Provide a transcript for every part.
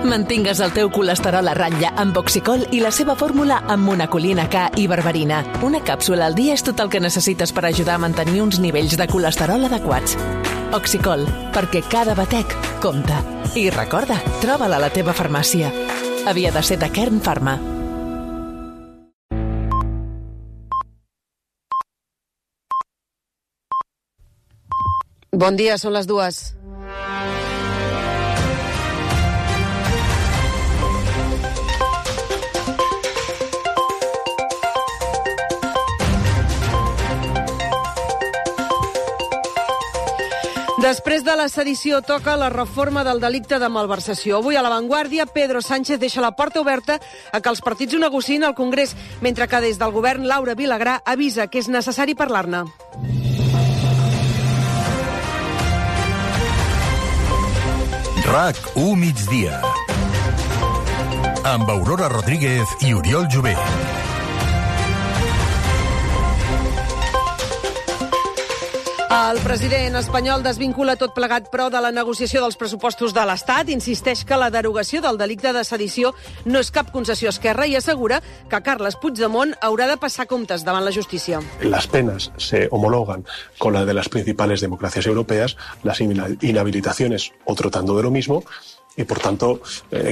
Mantingues el teu colesterol a ratlla amb Oxicol i la seva fórmula amb monacolina K i berberina. Una càpsula al dia és tot el que necessites per ajudar a mantenir uns nivells de colesterol adequats. Oxicol, perquè cada batec compta. I recorda, troba-la a la teva farmàcia. Havia de ser de Kern Pharma. Bon dia, són les 2. Després de la sedició toca la reforma del delicte de malversació. Avui a La Vanguardia, Pedro Sánchez deixa la porta oberta a que els partits ho negociïn al Congrés, mentre que des del govern Laura Vilagrà avisa que és necessari parlar-ne. RAC1 migdia. Amb Aurora Rodríguez i Oriol Jové. El president espanyol desvincula tot plegat, però, de la negociació dels pressupostos de l'Estat. Insisteix que la derogació del delicte de sedició no és cap concessió a Esquerra i assegura que Carles Puigdemont haurà de passar comptes davant la justícia. Las penas se homologan con la de las principales democracias europeas, las inhabilitaciones otro tanto de lo mismo, y por tanto,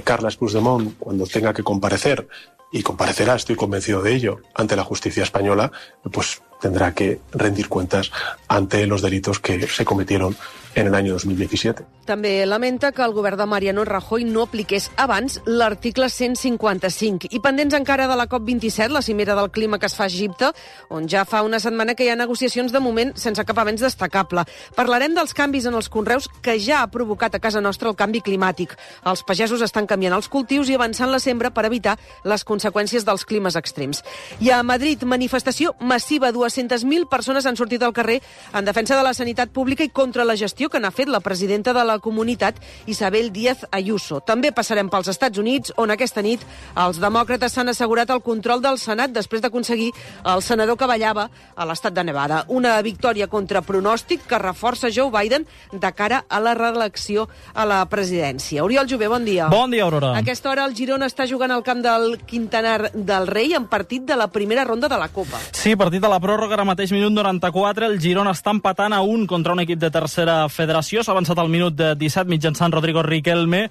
Carles Puigdemont, cuando tenga que comparecer, y comparecerá, estoy convencido de ello, ante la justicia española, pues tendrá que rendir cuentas ante los delitos que se cometieron en el año 2017. També lamenta que el govern de Mariano Rajoy no apliqués abans l'article 155. I pendents encara de la COP27, la cimera del clima que es fa a Egipte, on ja fa una setmana que hi ha negociacions de moment sense cap avenç destacable. Parlarem dels canvis en els conreus que ja ha provocat a casa nostra el canvi climàtic. Els pagesos estan canviant els cultius i avançant la sembra per evitar les conseqüències dels climes extrems. I a Madrid, manifestació massiva. 200.000 persones han sortit al carrer en defensa de la sanitat pública i contra la gestió que n'ha fet la presidenta de la comunitat, Isabel Díaz Ayuso. També passarem pels Estats Units, on aquesta nit els demòcrates s'han assegurat el control del Senat després d'aconseguir el senador que ballava a l'estat de Nevada. Una victòria contra pronòstic que reforça Joe Biden de cara a la reelecció a la presidència. Oriol Jové, bon dia. Bon dia, Aurora. A aquesta hora el Girona està jugant al camp del Quintanar del Rei en partit de la primera ronda de la Copa. Sí, partit de la pròrroga, ara mateix minut 94. El Girona està empatant a 1 contra un equip de tercera federació. S'ha avançat al minut 17 mitjançant Rodrigo Riquelme,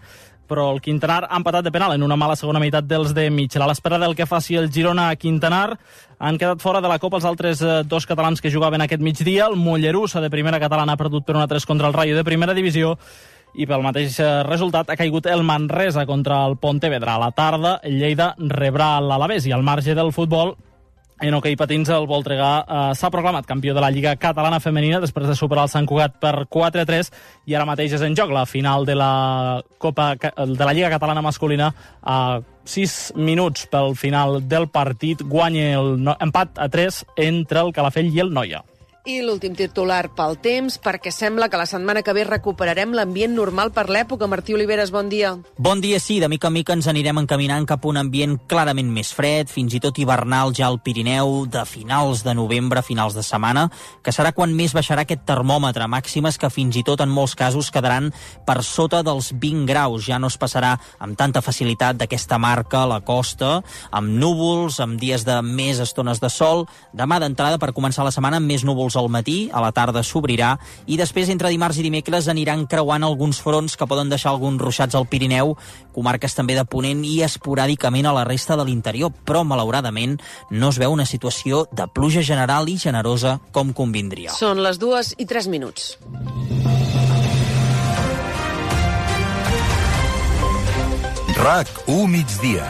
però el Quintanar ha empatat de penal en una mala segona meitat dels de Mitchell. A l'espera del que faci el Girona a Quintanar, han quedat fora de la Copa els altres dos catalans que jugaven aquest migdia. El Mollerussa, de primera catalana, ha perdut per 1-3 contra el Rayo de primera divisió, i pel mateix resultat ha caigut el Manresa contra el Pontevedra. A la tarda, el Lleida rebrà l'Alavés, i al marge del futbol, en hoquei patins, el Voltregà s'ha proclamat campió de la Lliga Catalana Femenina després de superar el Sant Cugat per 4-3, i ara mateix és en joc la final de la Lliga Catalana Masculina. A 6 minuts pel final del partit guanya empat a 3 entre el Calafell i el Noia. I l'últim titular pel temps, perquè sembla que la setmana que ve recuperarem l'ambient normal per l'època. Martí Oliveres, bon dia. Bon dia, sí. De mica en mica ens anirem encaminant cap a un ambient clarament més fred, fins i tot hivernal ja al Pirineu, de finals de novembre, finals de setmana, que serà quan més baixarà aquest termòmetre, màximes que fins i tot en molts casos quedaran per sota dels 20 graus. Ja no es passarà amb tanta facilitat d'aquesta marca a la costa, amb núvols, amb dies de més estones de sol. Demà d'entrada, per començar la setmana, amb més núvols al matí, a la tarda s'obrirà, i després entre dimarts i dimecres aniran creuant alguns fronts que poden deixar alguns ruixats al Pirineu, comarques també de Ponent i esporàdicament a la resta de l'interior, però malauradament no es veu una situació de pluja general i generosa com convindria. Són les 2:03. RAC1 migdia.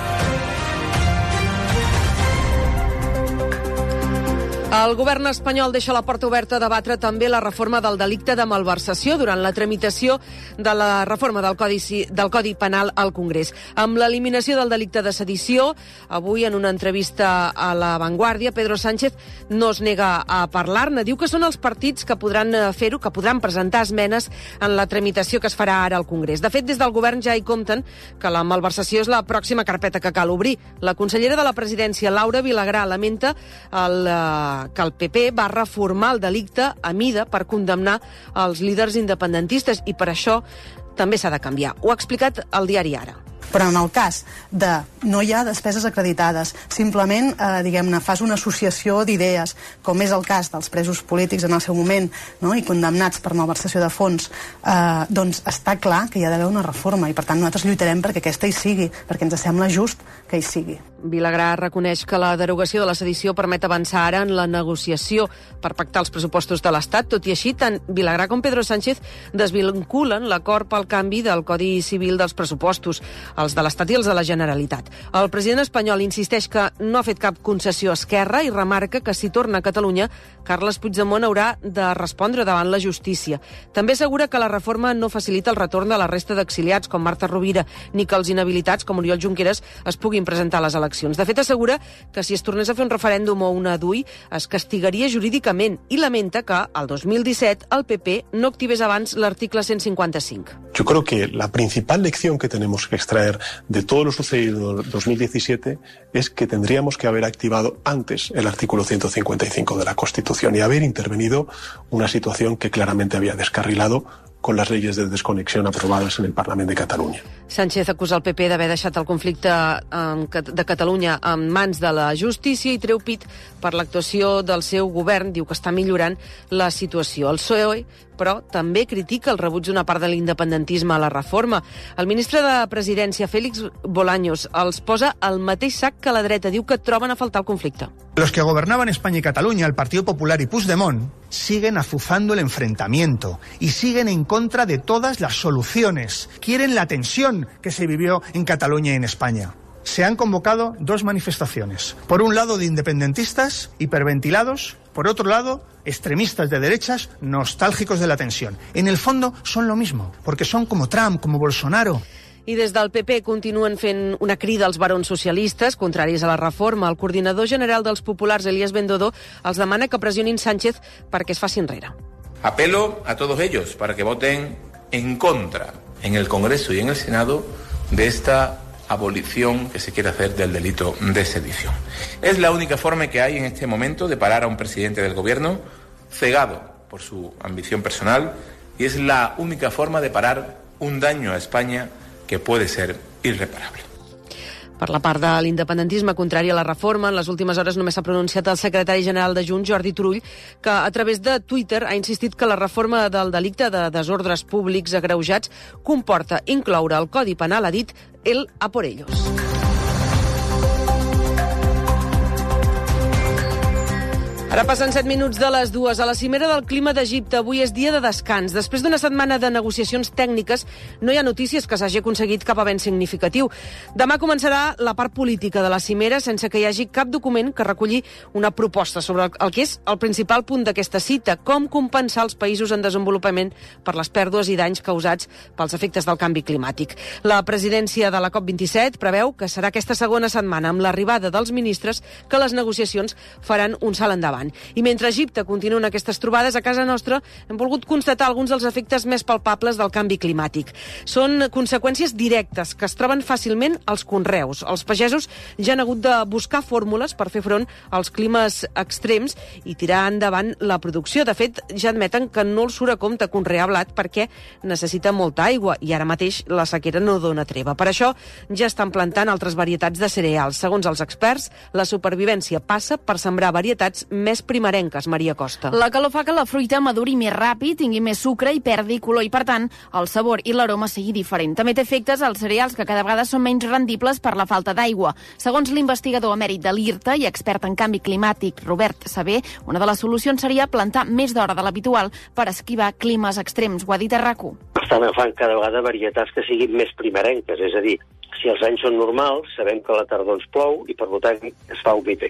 El govern espanyol deixa la porta oberta a debatre també la reforma del delicte de malversació durant la tramitació de la reforma del Codi Penal al Congrés. Amb l'eliminació del delicte de sedició, avui en una entrevista a La Vanguardia, Pedro Sánchez no es nega a parlar-ne. Diu que són els partits que podran fer-ho, que podran presentar esmenes en la tramitació que es farà ara al Congrés. De fet, des del govern ja hi compten que la malversació és la pròxima carpeta que cal obrir. La consellera de la Presidència, Laura Vilagrà, lamenta que el PP va reformar el delicte a mida per condemnar els líders independentistes i per això també s'ha de canviar. Ho ha explicat el diari Ara. Però en el cas de no hi ha despeses acreditades, simplement, diguem-ne, fas una associació d'idees, com és el cas dels presos polítics en el seu moment, no? I condemnats per malversació de fons, doncs està clar que hi ha d'haver una reforma i per tant nosaltres lluitarem perquè aquesta hi sigui, perquè ens sembla just que hi sigui. Vilagrà reconeix que la derogació de la sedició permet avançar ara en la negociació per pactar els pressupostos de l'Estat. Tot i així, tant Vilagrà com Pedro Sánchez desvinculen l'acord pel canvi del Codi Civil dels pressupostos, els de l'Estat i els de la Generalitat. El president espanyol insisteix que no ha fet cap concessió a Esquerra i remarca que si torna a Catalunya, Carles Puigdemont haurà de respondre davant la justícia. També assegura que la reforma no facilita el retorn de la resta d'exiliats com Marta Rovira, ni que els inhabilitats com Oriol Junqueras es puguin presentar a les eleccions. De fet, assegura que si es tornés a fer un referèndum o una DUI es castigaria jurídicament i lamenta que, al 2017, el PP no activés abans l'article 155. Yo creo que la principal lección que tenemos que extraer de todo lo sucedido en 2017 es que tendríamos que haber activado antes el artículo 155 de la Constitución y haber intervenido una situación que claramente había descarrilado con las leyes de desconexión aprobadas en el Parlament de Catalunya. Sánchez acusa el PP d'haver deixat el conflicte de Catalunya en mans de la justícia i treu pit per l'actuació del seu govern. Diu que està millorant la situació. El PSOE, però, també critica el rebuig d'una part de l'independentisme a la reforma. El ministre de Presidència, Félix Bolaños, els posa al mateix sac que la dreta. Diu que troben a faltar el conflicte. Los que gobernaban España y Cataluña, el Partido Popular y Puigdemont, siguen azuzando el enfrentamiento y siguen en contra de todas las soluciones. Quieren la tensión que se vivió en Cataluña y en España. Se han convocado dos manifestaciones. Por un lado, de independentistas hiperventilados, por otro lado, extremistas de derechas nostálgicos de la tensión. En el fondo son lo mismo, porque son como Trump, como Bolsonaro. I des del PP continuen fent una crida als barons socialistes, contraris a la reforma. El coordinador general dels populars, Elías Bendodo, els demana que pressionin Sánchez perquè es faci enrere. Apelo a todos ellos para que voten en contra en el Congreso y en el Senado de esta abolición que se quiere hacer del delito de sedición. Es la única forma que hay en este momento de parar a un presidente del gobierno cegado por su ambición personal y es la única forma de parar un daño a España que puede ser irreparable. Per la part de l'independentisme contrari a la reforma, en les últimes hores només s'ha pronunciat el secretari general de Junts, Jordi Turull, que a través de Twitter ha insistit que la reforma del delicte de desordres públics agreujats comporta incloure al Codi Penal, ha dit, el a por ellos. Ara passen 7 minuts de les 2. A la cimera del clima d'Egipte avui és dia de descans. Després d'una setmana de negociacions tècniques, no hi ha notícies que s'hagi aconseguit cap avenç significatiu. Demà començarà la part política de la cimera sense que hi hagi cap document que reculli una proposta sobre el que és el principal punt d'aquesta cita, com compensar els països en desenvolupament per les pèrdues i danys causats pels efectes del canvi climàtic. La presidència de la COP27 preveu que serà aquesta segona setmana, amb l'arribada dels ministres, que les negociacions faran un salt endavant. I mentre Egipte continuen aquestes trobades, a casa nostra hem volgut constatar alguns dels efectes més palpables del canvi climàtic. Són conseqüències directes que es troben fàcilment als conreus. Els pagesos ja han hagut de buscar fórmules per fer front als climes extrems i tirar endavant la producció. De fet, ja admeten que no els surt a compte conrear blat perquè necessita molta aigua i ara mateix la sequera no dona treva. Per això ja estan plantant altres varietats de cereals. Segons els experts, la supervivència passa per sembrar varietats més primerenques, Maria Costa. La calor fa que la fruita maduri més ràpid, tingui més sucre i perdi color i, per tant, el sabor i l'aroma sigui diferent. També té efectes als cereals que cada vegada són menys rendibles per la falta d'aigua. Segons l'investigador emèrit de l'IRTA i expert en canvi climàtic, Robert Sabé, una de les solucions seria plantar més d'hora de l'habitual per esquivar climes extrems. Ho ha dit a RAC1. Estan agafant cada vegada varietats que siguin més primerenques, és a dir, si els anys són normals, sabem que a la tardor ens plou i, per tant,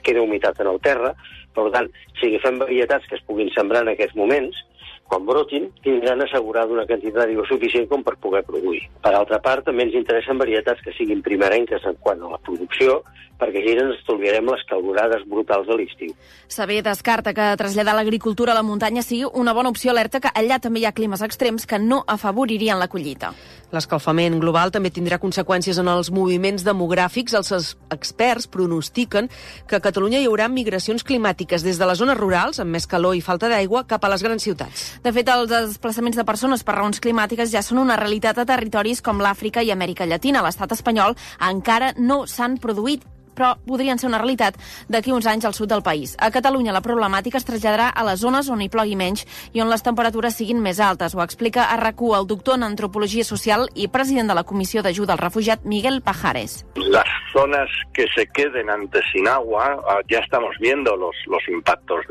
queda humitat en el terra. Per tant, si agafem varietats que es puguin sembrar en aquests moments, quan brotin, tindran assegurada una quantitat d'aigua suficient com per poder produir. Per altra part, també ens interessen varietats que siguin primerenques en quant a la producció, perquè així ens estalviarem les calorades brutals de l'estiu. Sabé descarta que traslladar l'agricultura a la muntanya sigui una bona opció, alerta que allà també hi ha climes extrems que no afavoririen la collita. L'escalfament global també tindrà conseqüències en els moviments demogràfics. Els experts pronostiquen que a Catalunya hi haurà migracions climàtiques des de les zones rurals, amb més calor i falta d'aigua, cap a les grans ciutats. De fet, els desplaçaments de persones per raons climàtiques ja són una realitat a territoris com l'Àfrica i Amèrica Llatina. A l'estat espanyol encara no s'han produït, però podrien ser una realitat d'aquí uns anys al sud del país. A Catalunya la problemàtica es traslladarà a les zones on hi plogui menys i on les temperatures siguin més altes. Ho explica a RAC1 el doctor en Antropologia Social i president de la Comissió d'Ajuda al Refugiat, Miguel Pajares. Las zonas que se queden antes sin agua, ya estamos viendo los impactos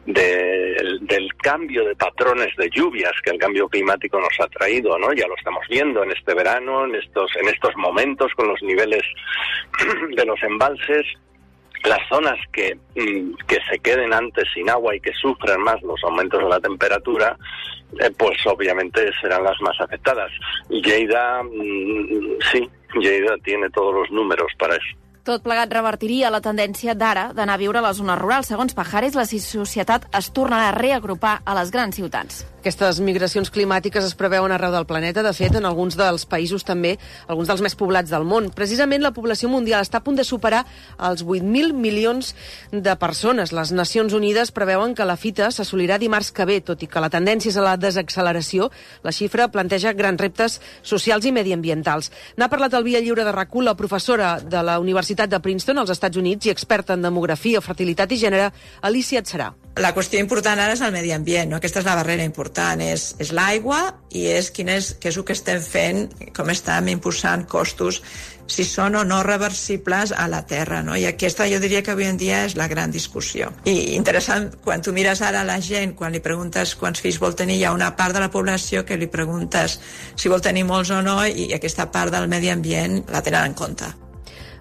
del cambio de patrones de lluvias que el cambio climático nos ha traído, ¿no? Ya lo estamos viendo en este verano, en estos momentos con los niveles de los embalses. Las zonas que se queden antes sin agua y que sufran más los aumentos de la temperatura, pues obviamente serán las más afectadas. Lleida, sí, Lleida tiene todos los números para eso. Tot plegat revertiria la tendència d'ara d'anar a viure a les zones rurals. Segons Pajares, la societat es tornarà a reagrupar a les grans ciutats. Aquestes migracions climàtiques es preveuen arreu del planeta. De fet, en alguns dels països també, alguns dels més poblats del món. Precisament la població mundial està a punt de superar els 8.000 milions de persones. Les Nacions Unides preveuen que la fita s'assolirà dimarts que ve, tot i que la tendència és a la desacceleració. La xifra planteja grans reptes socials i mediambientals. N'ha parlat al Via Lliure de RAC1 la professora de la Universitat de Princeton, als Estats Units, i experta en demografia, fertilitat i gènere, Alicia Atzerà. La qüestió important ara és el medi ambient, no? Aquesta és la barrera important, és l'aigua i és què és el que estem fent, com estem impulsant costos, si són o no reversibles a la Terra, no? I aquesta jo diria que avui en dia és la gran discussió. I interessant, quan tu mires ara a la gent, quan li preguntes quants fills vol tenir, hi ha una part de la població que li preguntes si vol tenir molts o no, i aquesta part del medi ambient la tenen en compte.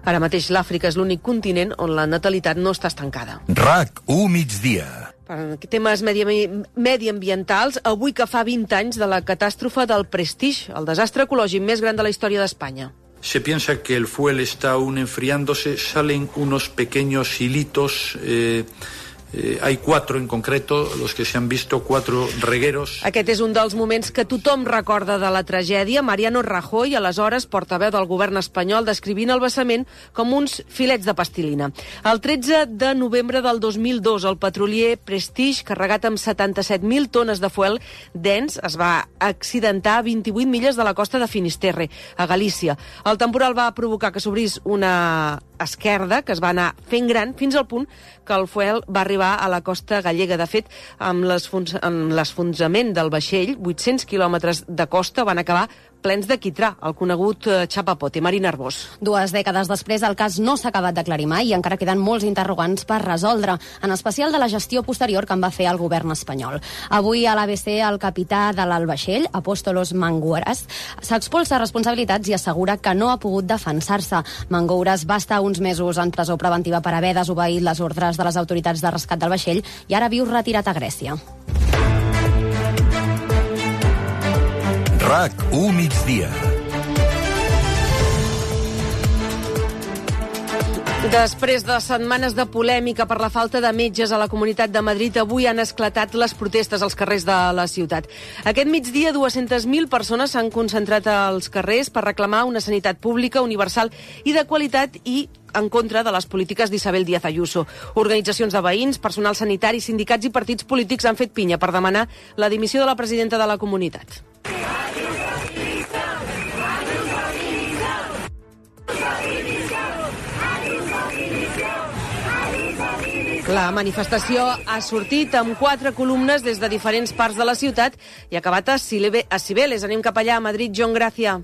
Ara mateix l'Àfrica és l'únic continent on la natalitat no està estancada. RAC1 migdia. Per temes mediambientals, avui que fa 20 anys de la catàstrofe del Prestige, el desastre ecològic més gran de la història d'Espanya. Se piensa que el fuel está aún enfriándose, salen unos pequeños hilitos. Hay 4 en concreto, los que se han visto, 4 regueros. Aquest és un dels moments que tothom recorda de la tragèdia. Mariano Rajoy, aleshores portaveu del govern espanyol, descrivint el vessament com uns filets de plastilina. El 13 de novembre del 2002, el petrolier Prestige, carregat amb 77.000 tones de fuel dens, es va accidentar a 28 milles de la costa de Finisterre, a Galícia. El temporal va provocar que s'obrís una esquerda que es va anar fent gran fins al punt que el fuel va arribar a la costa gallega. De fet, amb l'esfonsament del vaixell, 800 quilòmetres de costa van acabar plens de quitrà, el conegut chapapote. Marina Arbós. 2 dècades després, el cas no s'ha acabat d'aclarir mai i encara queden molts interrogants per resoldre, en especial de la gestió posterior que en va fer el govern espanyol. Avui a l'ABC, el capità de l'Albaixell, Apóstolos Mangouras, s'expulsa responsabilitats i assegura que no ha pogut defensar-se. Mangouras va estar uns mesos en presó preventiva per haver desobeït les ordres de les autoritats de rescat del vaixell i ara viu retirat a Grècia. RAC1 migdia. Després de setmanes de polèmica per la falta de metges a la Comunitat de Madrid, avui han esclatat les protestes als carrers de la ciutat. Aquest migdia, 200.000 persones s'han concentrat als carrers per reclamar una sanitat pública, universal i de qualitat i en contra de les polítiques d'Isabel Díaz Ayuso. Organitzacions de veïns, personal sanitari, sindicats i partits polítics han fet pinya per demanar la dimissió de la presidenta de la comunitat. La manifestació ha sortit amb 4 columnes des de diferents parts de la ciutat i ha acabat a Cibeles. Anem cap allà, a Madrid. John Gràcia.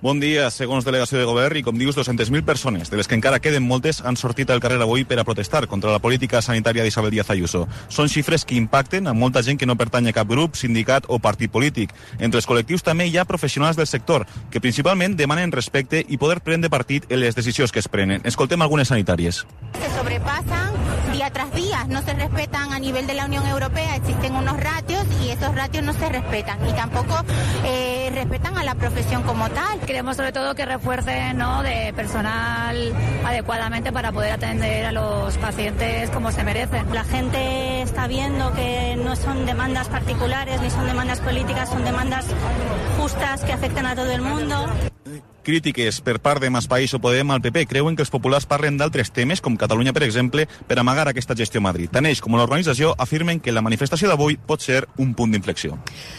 Bon dia. Segons delegació de govern, i com dius, 200.000 persones, de les que encara queden moltes, han sortit al carrer avui per a protestar contra la política sanitària d'Isabel Díaz Ayuso. Són xifres que impacten a molta gent que no pertany a cap grup, sindicat o partit polític. Entre els col·lectius també hi ha professionals del sector, que principalment demanen respecte i poder prendre partit en les decisions que es prenen. Escoltem algunes sanitàries. Se sobrepasan día tras día, no se respetan a nivel de la Unión Europea, existen unos ratios y esos ratios no se respetan y tampoco respetan a la profesión como tal. Queremos sobre todo que refuercen, ¿no?, de personal adecuadamente para poder atender a los pacientes como se merecen. La gente está viendo que no son demandas particulares ni son demandas políticas, son demandas justas que afectan a todo el mundo. crítiques per part de Maspaís o Podem al PP creuen que els populars parlen d'altres temes, com Catalunya, per exemple, per amagar aquesta gestió a Madrid. Tant ells com l'organització afirmen que la manifestació d'avui pot ser un punt d'inflexió.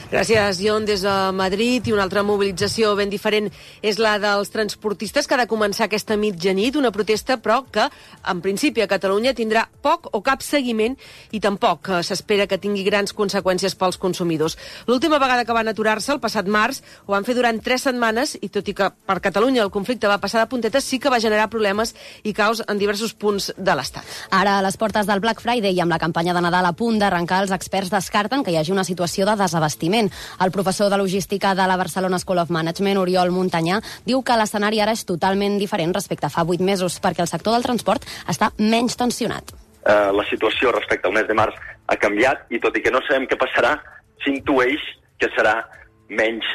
Gràcies, Jon, des de Madrid. I una altra mobilització ben diferent és la dels transportistes, que ha de començar aquesta mitjanit, una protesta, però que, en principi, a Catalunya tindrà poc o cap seguiment i tampoc s'espera que tingui grans conseqüències pels consumidors. L'última vegada que van aturar-se, el passat març, ho van fer durant 3 setmanes i, tot i que per Catalunya el conflicte va passar de puntetes, sí que va generar problemes i caos en diversos punts de l'Estat. Ara, a les portes del Black Friday i amb la campanya de Nadal a punt d'arrencar, els experts descarten que hi hagi una situació de desabastiment. El professor de logística de la Barcelona School of Management, Oriol Montanyà, diu que l'escenari ara és totalment diferent respecte a fa 8 mesos, perquè el sector del transport està menys tensionat. La situació respecte al mes de març ha canviat i tot i que no sabem què passarà, s'intueix que serà menys,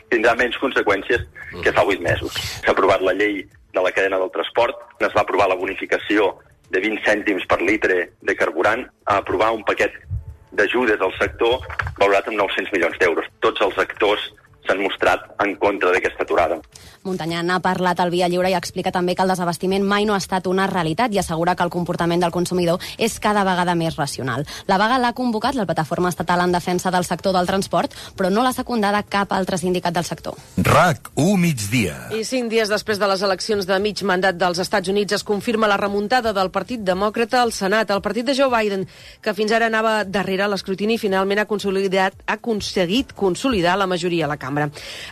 tindrà menys conseqüències que fa 8 mesos. S'ha aprovat la llei de la cadena del transport, es va aprovar la bonificació de 20 cèntims per litre de carburant, a aprovar un paquet d'ajudes al sector valorat amb 900 milions d'euros. Tots els actors s'han mostrat en contra d'aquesta aturada. Montanyà n'ha parlat al Via Lliure i explica també que el desabastiment mai no ha estat una realitat i assegura que el comportament del consumidor és cada vegada més racional. La vaga l'ha convocat la Plataforma Estatal en Defensa del Sector del Transport, però no l'ha secundada cap altre sindicat del sector. RAC1 migdia. I 5 dies després de les eleccions de mig mandat dels Estats Units es confirma la remuntada del Partit Demòcrata al Senat. El partit de Joe Biden, que fins ara anava darrere l'escrutini, finalment ha aconseguit consolidar la majoria a la cambra.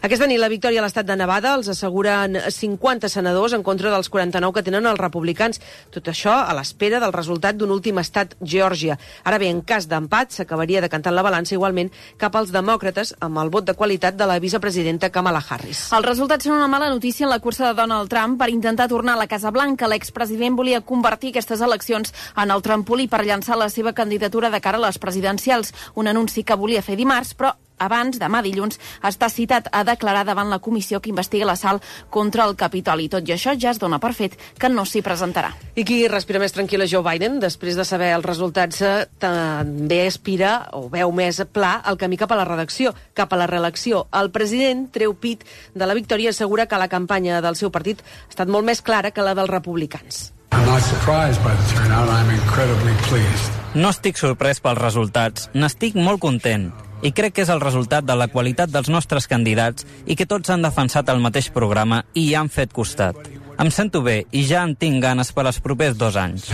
Aquesta nit la victòria a l'estat de Nevada els asseguren 50 senadors en contra dels 49 que tenen els republicans. Tot això a l'espera del resultat d'un últim estat, Geòrgia. Ara bé, en cas d'empat, s'acabaria decantant la balança igualment cap als demòcrates amb el vot de qualitat de la vicepresidenta Kamala Harris. Els resultats són una mala notícia en la cursa de Donald Trump per intentar tornar a la Casa Blanca. L'expresident volia convertir aquestes eleccions en el trampolí per llançar la seva candidatura de cara a les presidencials, un anunci que volia fer dimarts, però abans, demà dilluns, està citat a declarar davant la comissió que investiga l'assalt contra el Capitoli. Tot i això, ja es dona per fet que no s'hi presentarà. I qui respira més tranquil·la, Joe Biden, després de saber els resultats, també aspira o veu més pla el camí cap a la reelecció. El president treu pit de la victòria i assegura que la campanya del seu partit ha estat molt més clara que la dels republicans. No estic sorprès pels resultats, n'estic molt content. I crec que és el resultat de la qualitat dels nostres candidats i que tots han defensat el mateix programa i hi han fet costat. Em sento bé i ja en tinc ganes per als propers 2 anys.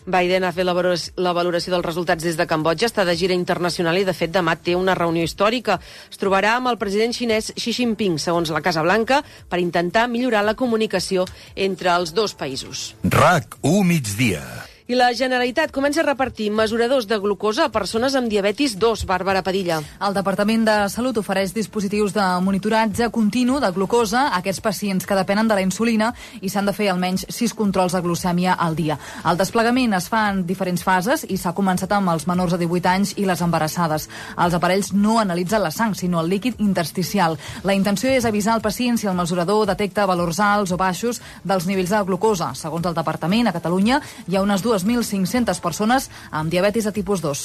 Biden ha fet la valoració dels resultats des de Cambodja, està de gira internacional i, de fet, demà té una reunió històrica. Es trobarà amb el president xinès Xi Jinping, segons la Casa Blanca, per intentar millorar la comunicació entre els dos països. RAC1 migdia. I la Generalitat comença a repartir mesuradors de glucosa a persones amb diabetis 2, Bàrbara Padilla. El Departament de Salut ofereix dispositius de monitoratge continu de glucosa a aquests pacients que depenen de la insulina i s'han de fer almenys 6 controls de glucèmia al dia. El desplegament es fa en diferents fases i s'ha començat amb els menors de 18 anys i les embarassades. Els aparells no analitzen la sang, sinó el líquid intersticial. La intenció és avisar al pacient si el mesurador detecta valors alts o baixos dels nivells de glucosa. Segons el Departament, a Catalunya hi ha unes 2.500 persones amb diabetis de tipus 2.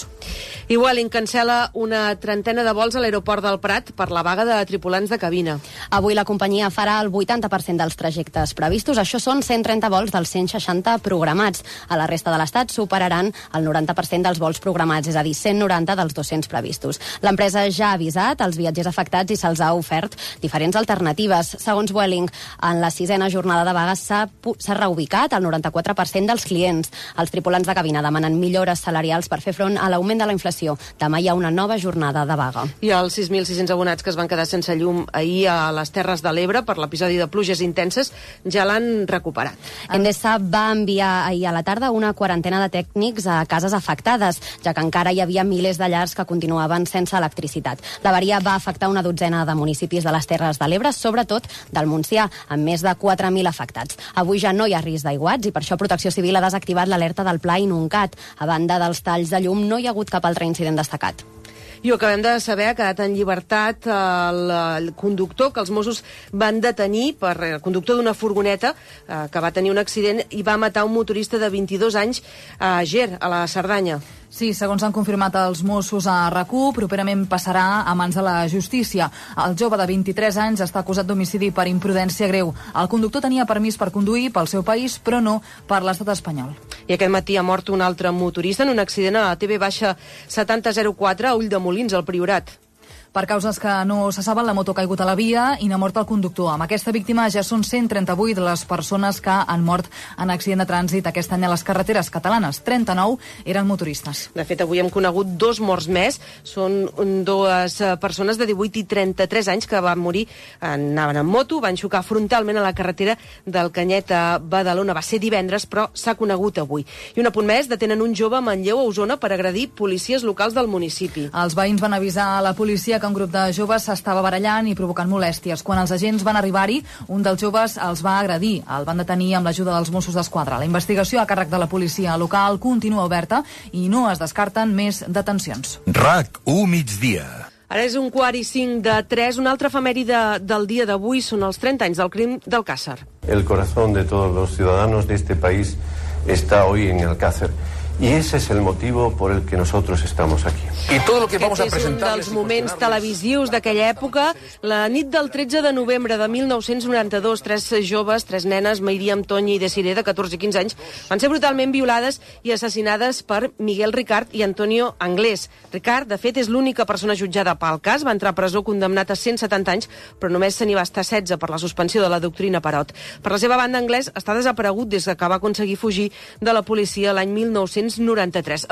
I Vueling cancela una trentena de vols a l'aeroport del Prat per la vaga de tripulants de cabina. Avui la companyia farà el 80% dels trajectes previstos. Això són 130 vols dels 160 programats. A la resta de l'Estat superaran el 90% dels vols programats, és a dir, 190 dels 200 previstos. L'empresa ja ha avisat als viatgers afectats i se'ls ha ofert diferents alternatives. Segons Vueling, en la 6a jornada de vaga s'ha reubicat el 94% dels clients. Els tripulants de cabina demanen millores salarials per fer front a l'augment de la inflació. Demà hi ha una nova jornada de vaga. I els 6.600 abonats que es van quedar sense llum ahir a les Terres de l'Ebre per l'episodi de pluges intenses ja l'han recuperat. Endesa va enviar ahir a la tarda una quarantena de tècnics a cases afectades, ja que encara hi havia milers de llars que continuaven sense electricitat. L'avaria va afectar una dotzena de municipis de les Terres de l'Ebre, sobretot del Montsià, amb més de 4.000 afectats. Avui ja no hi ha risc d'aiguats i per això Protecció Civil ha desactivat l'alerta del Pla Inuncat. A banda dels talls de llum, no hi ha hagut cap altre incident destacat. I ho acabem de saber, ha quedat en llibertat el conductor que els Mossos van detenir, el conductor d'una furgoneta que va tenir un accident i va matar un motorista de 22 anys a Ger, a la Cerdanya. Sí, segons han confirmat els Mossos a RAC1, properament passarà a mans de la justícia. El jove de 23 anys està acusat d'homicidi per imprudència greu. El conductor tenia permís per conduir pel seu país, però no per l'estat espanyol. I aquest matí ha mort un altre motorista en un accident a la TB-7004 a Ulldemolins, al Priorat. Per causes que no se saben, la moto ha caigut a la via i n'ha mort el conductor. Amb aquesta víctima ja són 138 les persones que han mort en accident de trànsit aquest any a les carreteres catalanes. 39 eren motoristes. De fet, avui hem conegut 2 morts més. Són 2 persones de 18 i 33 anys que van morir, anaven en moto, van xocar frontalment a la carretera del Canyet a Badalona. Va ser divendres, però s'ha conegut avui. I un apunt més, detenen un jove a Manlleu, a Osona, per agredir policies locals del municipi. Els veïns van avisar a la policia que un grup de joves s'estava barallant i provocant molèsties. Quan els agents van arribar-hi, un dels joves els va agredir. El van detenir amb l'ajuda dels Mossos d'Esquadra. La investigació a càrrec de la policia local continua oberta i no es descarten més detencions. RAC1 migdia. Ara és 2:45 Una altra efemèride del dia d'avui són els 30 anys del crim d'Alcácer. El corazón de todos los ciudadanos de este país está hoy en Alcácer. Y ese es el motivo por el que nosotros estamos aquí. Y todo lo que vamos a presentar és un dels moments televisius d'aquella època. La nit del 13 de novembre de 1992, 3 joves, 3 nenes, Mairiam, Tonya i Desiree, de 14 i 15 anys, van ser brutalment violades i assassinades per Miguel Ricard i Antonio Anglés. Ricard, de fet, és l'única persona jutjada pel cas. Va entrar a presó condemnat a 170 anys, però només se n'hi va estar 16 per la suspensió de la doctrina Parot. Per la seva banda, Anglés està desaparegut des que va aconseguir fugir de la policia l'any 1993.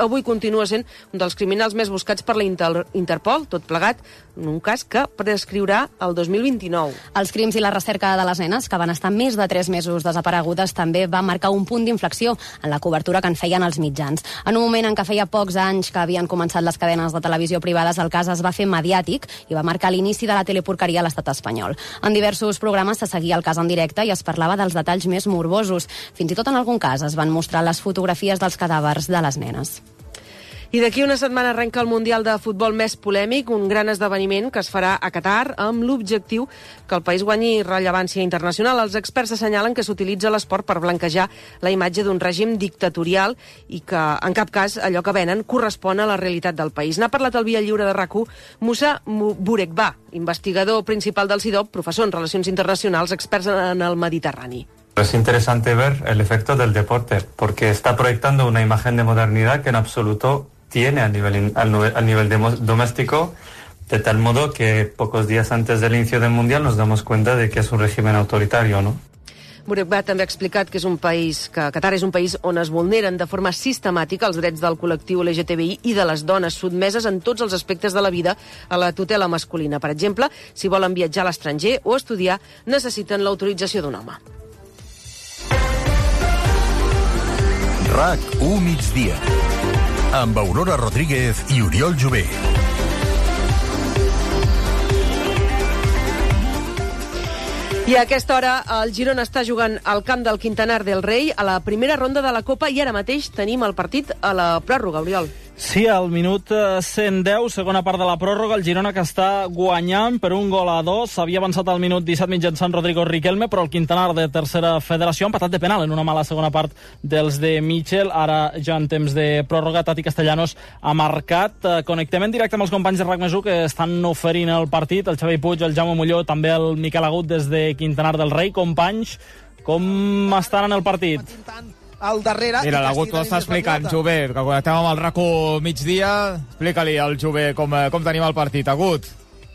Avui continua sent un dels criminals més buscats per la Interpol, tot plegat en un cas que prescriurà el 2029. Els crims i la recerca de les nenes, que van estar més de 3 mesos desaparegudes, també va marcar un punt d'inflexió en la cobertura que en feien els mitjans. En un moment en què feia pocs anys que havien començat les cadenes de televisió privades, el cas es va fer mediàtic i va marcar l'inici de la teleporqueria a l'estat espanyol. En diversos programes se seguia el cas en directe i es parlava dels detalls més morbosos. Fins i tot en algun cas es van mostrar les fotografies dels cadàvers de les nenes. I d'aquí una setmana arrenca el Mundial de Futbol més polèmic, un gran esdeveniment que es farà a Qatar amb l'objectiu que el país guanyi rellevància internacional. Els experts assenyalen que s'utilitza l'esport per blanquejar la imatge d'un règim dictatorial i que, en cap cas, allò que venen correspon a la realitat del país. N'ha parlat al Via Lliure de RAC1 Musa Burekba, investigador principal del CIDOB, professor en Relacions Internacionals, experts en el Mediterrani. Es interesante ver el efecto del deporte, porque está proyectando una imagen de modernidad que en absoluto tiene a nivel doméstico, de tal modo que pocos días antes del inicio del Mundial nos damos cuenta de que es un régimen autoritario, ¿no? Burekba també ha explicat que Qatar és un país on es vulneren de forma sistemàtica els drets del col·lectiu LGTBI i de les dones, sotmeses en tots els aspectes de la vida a la tutela masculina. Per exemple, si volen viatjar a l'estranger o estudiar, necessiten l'autorització d'un home. RAC1 migdia, amb Aurora Rodríguez i Oriol Jové. I a aquesta hora el Girona està jugant al camp del Quintanar del Rei a la primera ronda de la Copa i ara mateix tenim el partit a la pròrroga, Oriol. Sí, al minut 110, segona part de la pròrroga, el Girona que està guanyant per 1-2. S'havia avançat al minut 17 mitjançant Rodrigo Riquelme, però el Quintanar de tercera federació ha empatat de penal en una mala segona part dels de Michel. Ara ja en temps de pròrroga, Tati Castellanos ha marcat. Connectem en directe amb els companys de RAC1 que estan oferint el partit, el Xavi Puig, el Jaume Molló, també el Miquel Agut des de Quintanar del Rei. Companys, com estan en el partit? Al darrere... Mira, l'Agut ho està explicant, Jové, que connectem amb el RAC1 migdia. Explica-li al Jové com tenim el partit, Agut.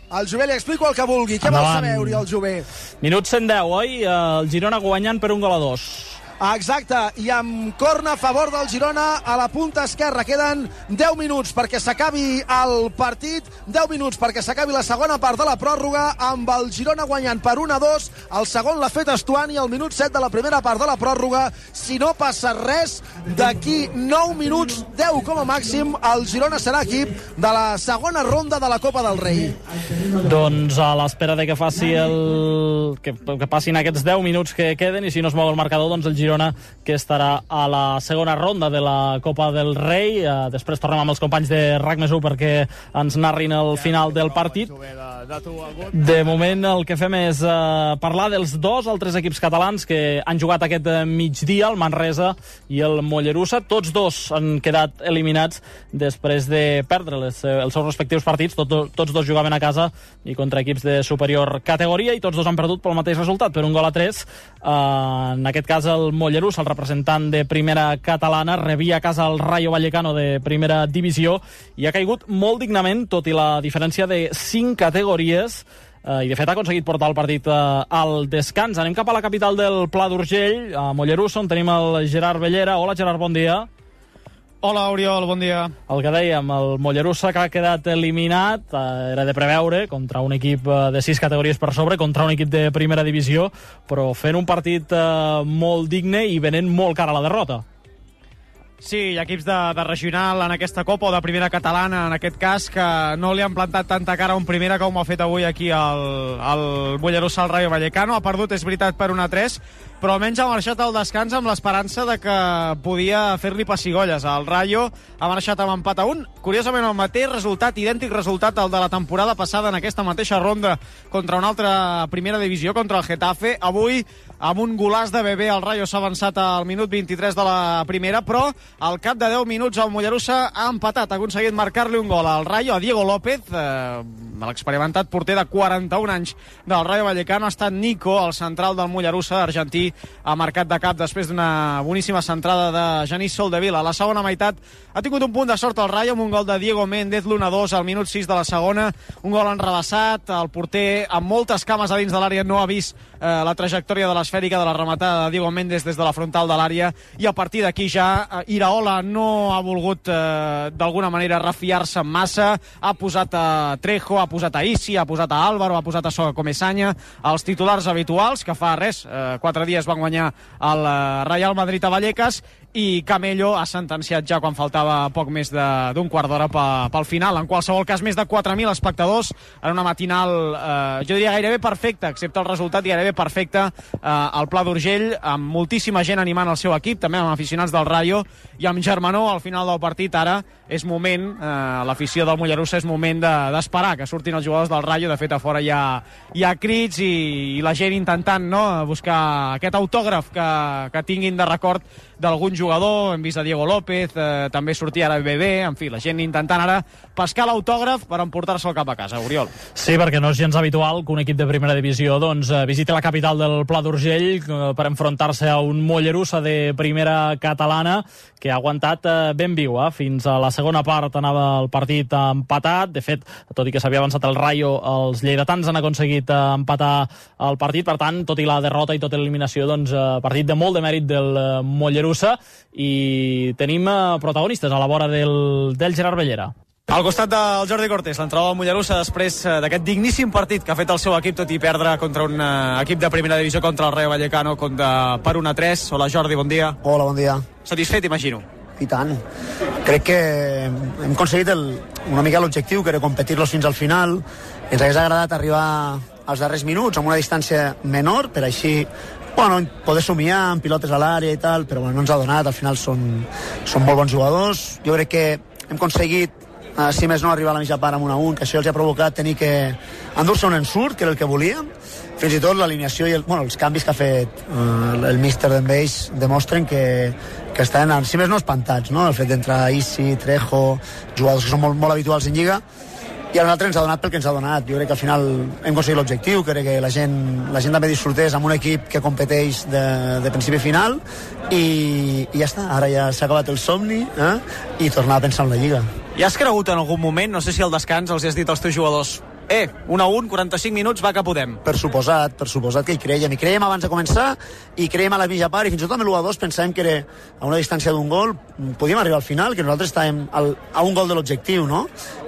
Al Jové li explico el que vulgui. Què vol saber, Oriol Jové? Minut 110, oi? El Girona guanyant per 1-2. Exacte, i amb corna a favor del Girona a la punta esquerra. Queden 10 minuts perquè s'acabi el partit, 10 minuts perquè s'acabi la segona part de la pròrroga, amb el Girona guanyant per 1-2. El segon l'ha fet Estuani al minut 7 de la primera part de la pròrroga. Si no passa res, d'aquí 9 minuts, 10 com a màxim, el Girona serà equip de la segona ronda de la Copa del Rei. Doncs a l'espera de que passin aquests 10 minuts que queden, i si no es mou el marcador, doncs el Girona Girona, que estarà a la segona ronda de la Copa del Rei. Després tornem amb els companys de RAC+1 perquè ens narrin el final del partit. De moment el que fem és parlar dels dos altres equips catalans que han jugat aquest migdia, el Manresa i el Mollerussa. Tots dos han quedat eliminats després de perdre els seus respectius partits. Tots dos jugaven a casa i contra equips de superior categoria, i tots dos han perdut pel mateix resultat, per 1-3. En aquest cas el Mollerussa, el representant de primera catalana, rebia a casa el Rayo Vallecano de primera divisió i ha caigut molt dignament, tot i la diferència de 5 categories, i de fet ha aconseguit portar el partit al descans. Anem cap a la capital del Pla d'Urgell, a Mollerussa, on tenim el Gerard Bellera. Hola, Gerard, bon dia. Hola, Oriol, bon dia. El que dèiem, el Mollerussa, que ha quedat eliminat, era de preveure, contra un equip de 6 categories per sobre, contra un equip de primera divisió, però fent un partit molt digne i venent molt cara a la derrota. Sí, hi ha equips de regional en aquesta Copa, o de primera catalana, en aquest cas, que no li han plantat tanta cara a un primera com ho ha fet avui aquí el Mollerussa al Rayo Vallecano. Ha perdut, és veritat, per 1-3, però almenys ha marxat al descans amb l'esperança de que podia fer-li pessigolles. El Rayo ha marxat amb empat a 1. Curiosament, el mateix resultat, idèntic resultat al de la temporada passada en aquesta mateixa ronda contra una altra primera divisió, contra el Getafe. Avui, amb un golaç de Bebé, el Rayo s'ha avançat al minut 23 de la primera, però al cap de 10 minuts el Mollerussa ha empatat, ha aconseguit marcar-li un gol al Rayo, a Diego López, l'experimentat porter de 41 anys del Rayo Vallecano. Ha estat Nico, el central del Mollerussa, argentí, ha marcat de cap després d'una boníssima centrada de Genís Soldevila. A la segona meitat ha tingut un punt de sort el Rayo amb un gol de Diego Méndez, l'1-2 al minut 6 de la segona, un gol enrevessat. El porter, amb moltes cames a dins de l'àrea, no ha vist la trajectòria de l'esfèrica de la rematada de Diego Méndez des de la frontal de l'àrea, i a partir d'aquí ja Iraola no ha volgut d'alguna manera refiar-se massa. Ha posat a Trejo, ha posat a Isi, ha posat a Álvaro, ha posat a Soga Comesaña, els titulars habituals, que fa 4 dies van guanyar el Real Madrid a Vallecas, i Camello ha sentenciat ja quan faltava poc més d'un quart d'hora pel final. En qualsevol cas, més de 4.000 espectadors en una matinal, jo diria gairebé perfecta, excepte el resultat, gairebé perfecta, al Pla d'Urgell, amb moltíssima gent animant el seu equip, també amb aficionats del Rayo, i amb germanor al final del partit. Ara és moment, l'afició del Mollerussa, és moment d'esperar que surtin els jugadors del Rayo. De fet, a fora hi ha crits i la gent intentant buscar aquest autògraf que tinguin de record d'algun jugador. Hem vist a Diego López, també sortia ara Bebé, en fi, la gent intentant ara pescar l'autògraf per emportar-se'l cap a casa. Oriol. Sí, perquè no és gens habitual que un equip de primera divisió visiti la capital del Pla d'Urgell per enfrontar-se a un Mollerussa de primera catalana que ha aguantat ben viu. Fins a la segona part anava el partit empatat. De fet, tot i que s'havia avançat el Rayo, els lleidatans han aconseguit empatar el partit. Per tant, tot i la derrota i tota l'eliminació, partit de molt de mèrit del Mollerussa, i tenim protagonistes a la vora del Gerard Bellera. Al costat del Jordi Cortés, l'entrenador del Mollerussa, després d'aquest digníssim partit que ha fet el seu equip, tot i perdre contra un equip de primera divisió, contra el Rayo Vallecano, per 1-3. Hola, Jordi, bon dia. Hola, bon dia. Satisfet, imagino. I tant. Crec que hem aconseguit una mica l'objectiu, que era competir-los fins al final. Ens hagués agradat arribar als darrers minuts amb una distància menor, per així poder somiar amb pilotes a l'àrea i tal, però no ens ha donat. Al final són molt bons jugadors. Jo crec que hem aconseguit, si més no, arribar a la mitja part amb 1-1, que això els ha provocat tenir que endur-se un ensurt, que era el que volíem. Fins i tot l'alineació i els canvis que ha fet el míster d'en Beix demostren que estan, si més no, espantats, no? El fet d'entrar Isi, Trejo, jugadors que són molt habituals en Lliga, i a nosaltres ens ha donat pel que ens ha donat. Jo crec que al final hem aconseguit l'objectiu, crec que la gent també disfrutés amb un equip que competeix de principi a final, i ja està, ara ja s'ha acabat el somni, i tornar a pensar en la Lliga. I has cregut en algun moment, no sé si al descans els has dit als teus jugadors 1-1, 45 minuts, va que podem? Per suposat que hi creiem abans de començar, i creiem a la mitja part, i fins i tot amb l'1-2 pensàvem que era a una distància d'un gol, podíem arribar al final, que nosaltres estàvem a un gol de l'objectiu, no?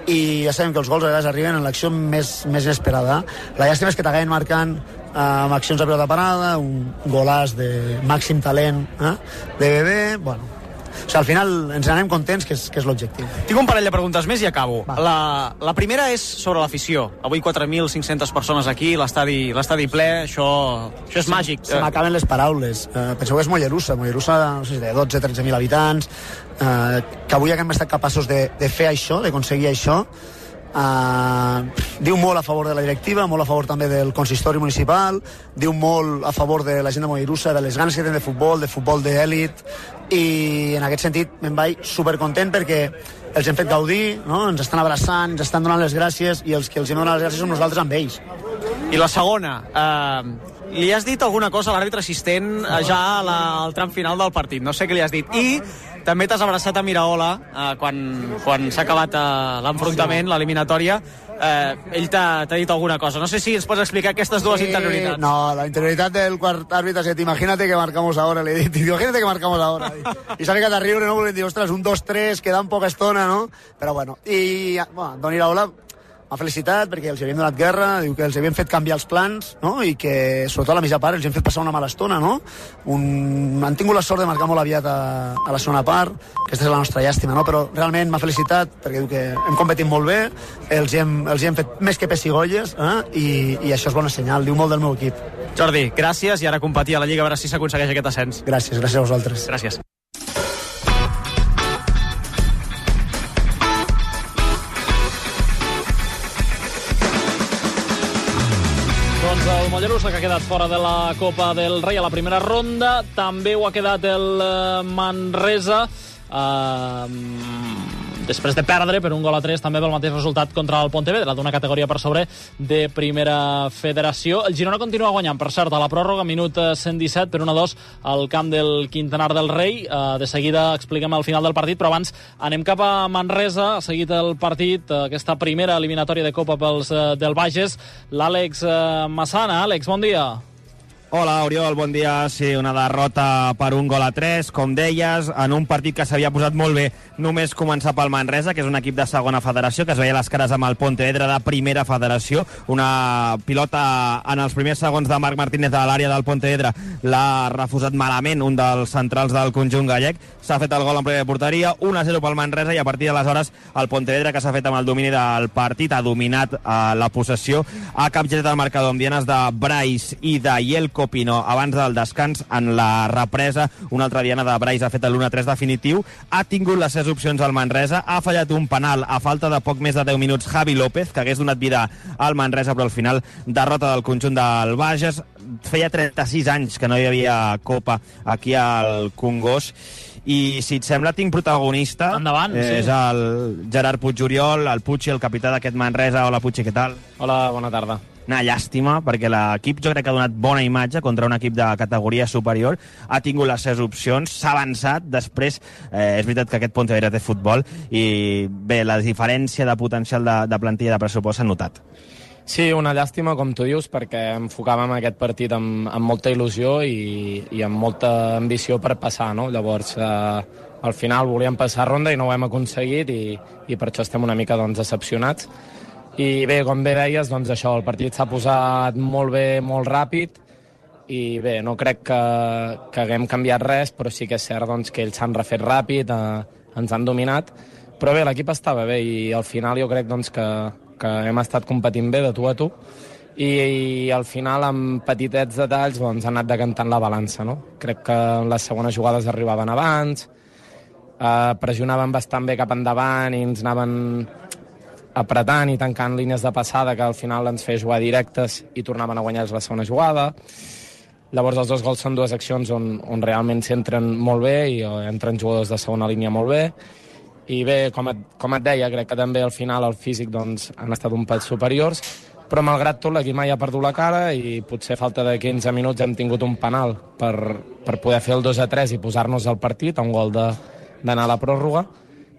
I ja sabem que els gols a vegades arriben en l'acció més inesperada. La llàstima és que t'acaben marcant amb accions de pilota parada, un golàs de màxim talent de Bebé. sigui, al final ens anem contents, que és l'objectiu. Tinc un parell de preguntes més i acabo. La primera és sobre l'afició. Avui 4.500 persones aquí, l'estadi ple, això és màgic. Se m'acaben les paraules. Penseu que és Mollerussa, no sé si de 12-13.000 habitants, que avui haguem estat capaços de fer això, d'aconseguir això. Diu molt a favor de la directiva, molt a favor també del consistori municipal, diu molt a favor de la gent de Mollerussa, de les ganes que tenen de futbol d'èlit, i en aquest sentit me'n vaig supercontent perquè els hem fet gaudir, no? Ens estan abraçant, ens estan donant les gràcies, i els que els hem donat les gràcies som nosaltres amb ells. I la segona, li has dit alguna cosa a l'àrbitre assistent ja al tram final del partit, no sé què li has dit, i també t'has abraçat a Miraola quan s'ha acabat l'enfrontament, l'eliminatòria. Ell t'ha dit alguna cosa. No sé si ens pots explicar aquestes dues interioritats. No, la interioridad del quart àrbitre ha dit, imagínate que marcamos ahora, le he dit, imagínate que marcamos ahora. I s'ha ficat a riure, no? Perquè diu, ostres, 1, 2, 3, queda poca estona, no? Però bueno, i Don Iraola m'ha felicitat perquè els havien donat guerra, diu que els havien fet canviar els plans, no? I que, sobretot a la mitja part, els hem fet passar una mala estona, no? Han tingut la sort de marcar molt aviat a la segona part, aquesta és la nostra llàstima, no? Però realment m'ha felicitat perquè diu que hem competit molt bé, els hem fet més que pessigolles, i això és bona senyal, diu molt del meu equip. Jordi, gràcies, i ara competir a la Lliga a veure si s'aconsegueix aquest ascens. Gràcies a vosaltres. Gràcies. El Mollerussa, que ha quedat fora de la Copa del Rei a la primera ronda, també ho ha quedat el Manresa, després de perdre per 1-3 també pel mateix resultat contra el Pontevedra, d'una categoria per sobre de primera federació. El Girona continua guanyant, per cert, a la pròrroga, minut 117 per 1-2 al camp del Quintanar del Rei. De seguida expliquem el final del partit, però abans anem cap a Manresa. Ha seguit el partit, aquesta primera eliminatòria de Copa pels del Bages, l'Àlex Massana. Àlex, bon dia. Hola, Oriol, bon dia. Sí, una derrota per 1-3, com deies, en un partit que s'havia posat molt bé només començar pel Manresa, que és un equip de segona federació, que es veia les cares amb el Pontevedra de primera federació. Una pilota en els primers segons de Marc Martínez a l'àrea del Pontevedra l'ha refusat malament un dels centrals del conjunt gallec. S'ha fet el gol en plena porteria, 1-0 pel Manresa, i a partir d'aleshores el Pontevedra, que s'ha fet amb el domini del partit, ha dominat la possessió, ha capgirat el marcador amb dianes de Brais i de Yelko Pino abans del descans. En la represa, una altra diana de Brais ha fet l'1-3 definitiu. Ha tingut les 6 opcions al Manresa, ha fallat un penal a falta de poc més de 10 minuts Javi López, que hagués donat vida al Manresa, però al final derrota del conjunt del Bages. Feia 36 anys que no hi havia Copa aquí al Congost. I si et sembla, tinc protagonista. Endavant, sí. És el Gerard Puig-Oriol, el Puig, el capità d'aquest Manresa. Hola, Puig, què tal? Hola, bona tarda. Una llàstima, perquè l'equip jo crec que ha donat bona imatge contra un equip de categoria superior, ha tingut les 6 opcions, s'ha avançat, després és veritat que aquest Pontevedra té futbol, i bé, la diferència de potencial de plantilla de pressupost s'ha notat. Sí, una llàstima, com tu dius, perquè enfocàvem aquest partit amb molta il·lusió i amb molta ambició per passar, no? Llavors, al final volíem passar ronda i no ho hem aconseguit, i per això estem una mica decepcionats. I bé, com bé deies, doncs això, el partit s'ha posat molt bé, molt ràpid, i bé, no crec que haguem canviat res, però sí que és cert doncs, que ells s'han refet ràpid, ens han dominat, però bé, l'equip estava bé, i al final jo crec doncs, que hem estat competint bé de tu a tu, i al final amb petitets detalls doncs, han anat decantant la balança, no? Crec que les segones jugades arribaven abans, pressionaven bastant bé cap endavant i ens anaven apretant i tancant línies de passada que al final ens feia jugar directes i tornaven a guanyar la segona jugada. Llavors els 2 gols són 2 accions on realment s'entren molt bé i entren jugadors de segona línia molt bé. I bé, com et deia, crec que també al final el físic doncs, han estat un pèl superiors, però malgrat tot l'equip mai ha perdut la cara i potser a falta de 15 minuts hem tingut un penal per poder fer el 2-3 i posar-nos al partit, un gol d'anar a la pròrroga,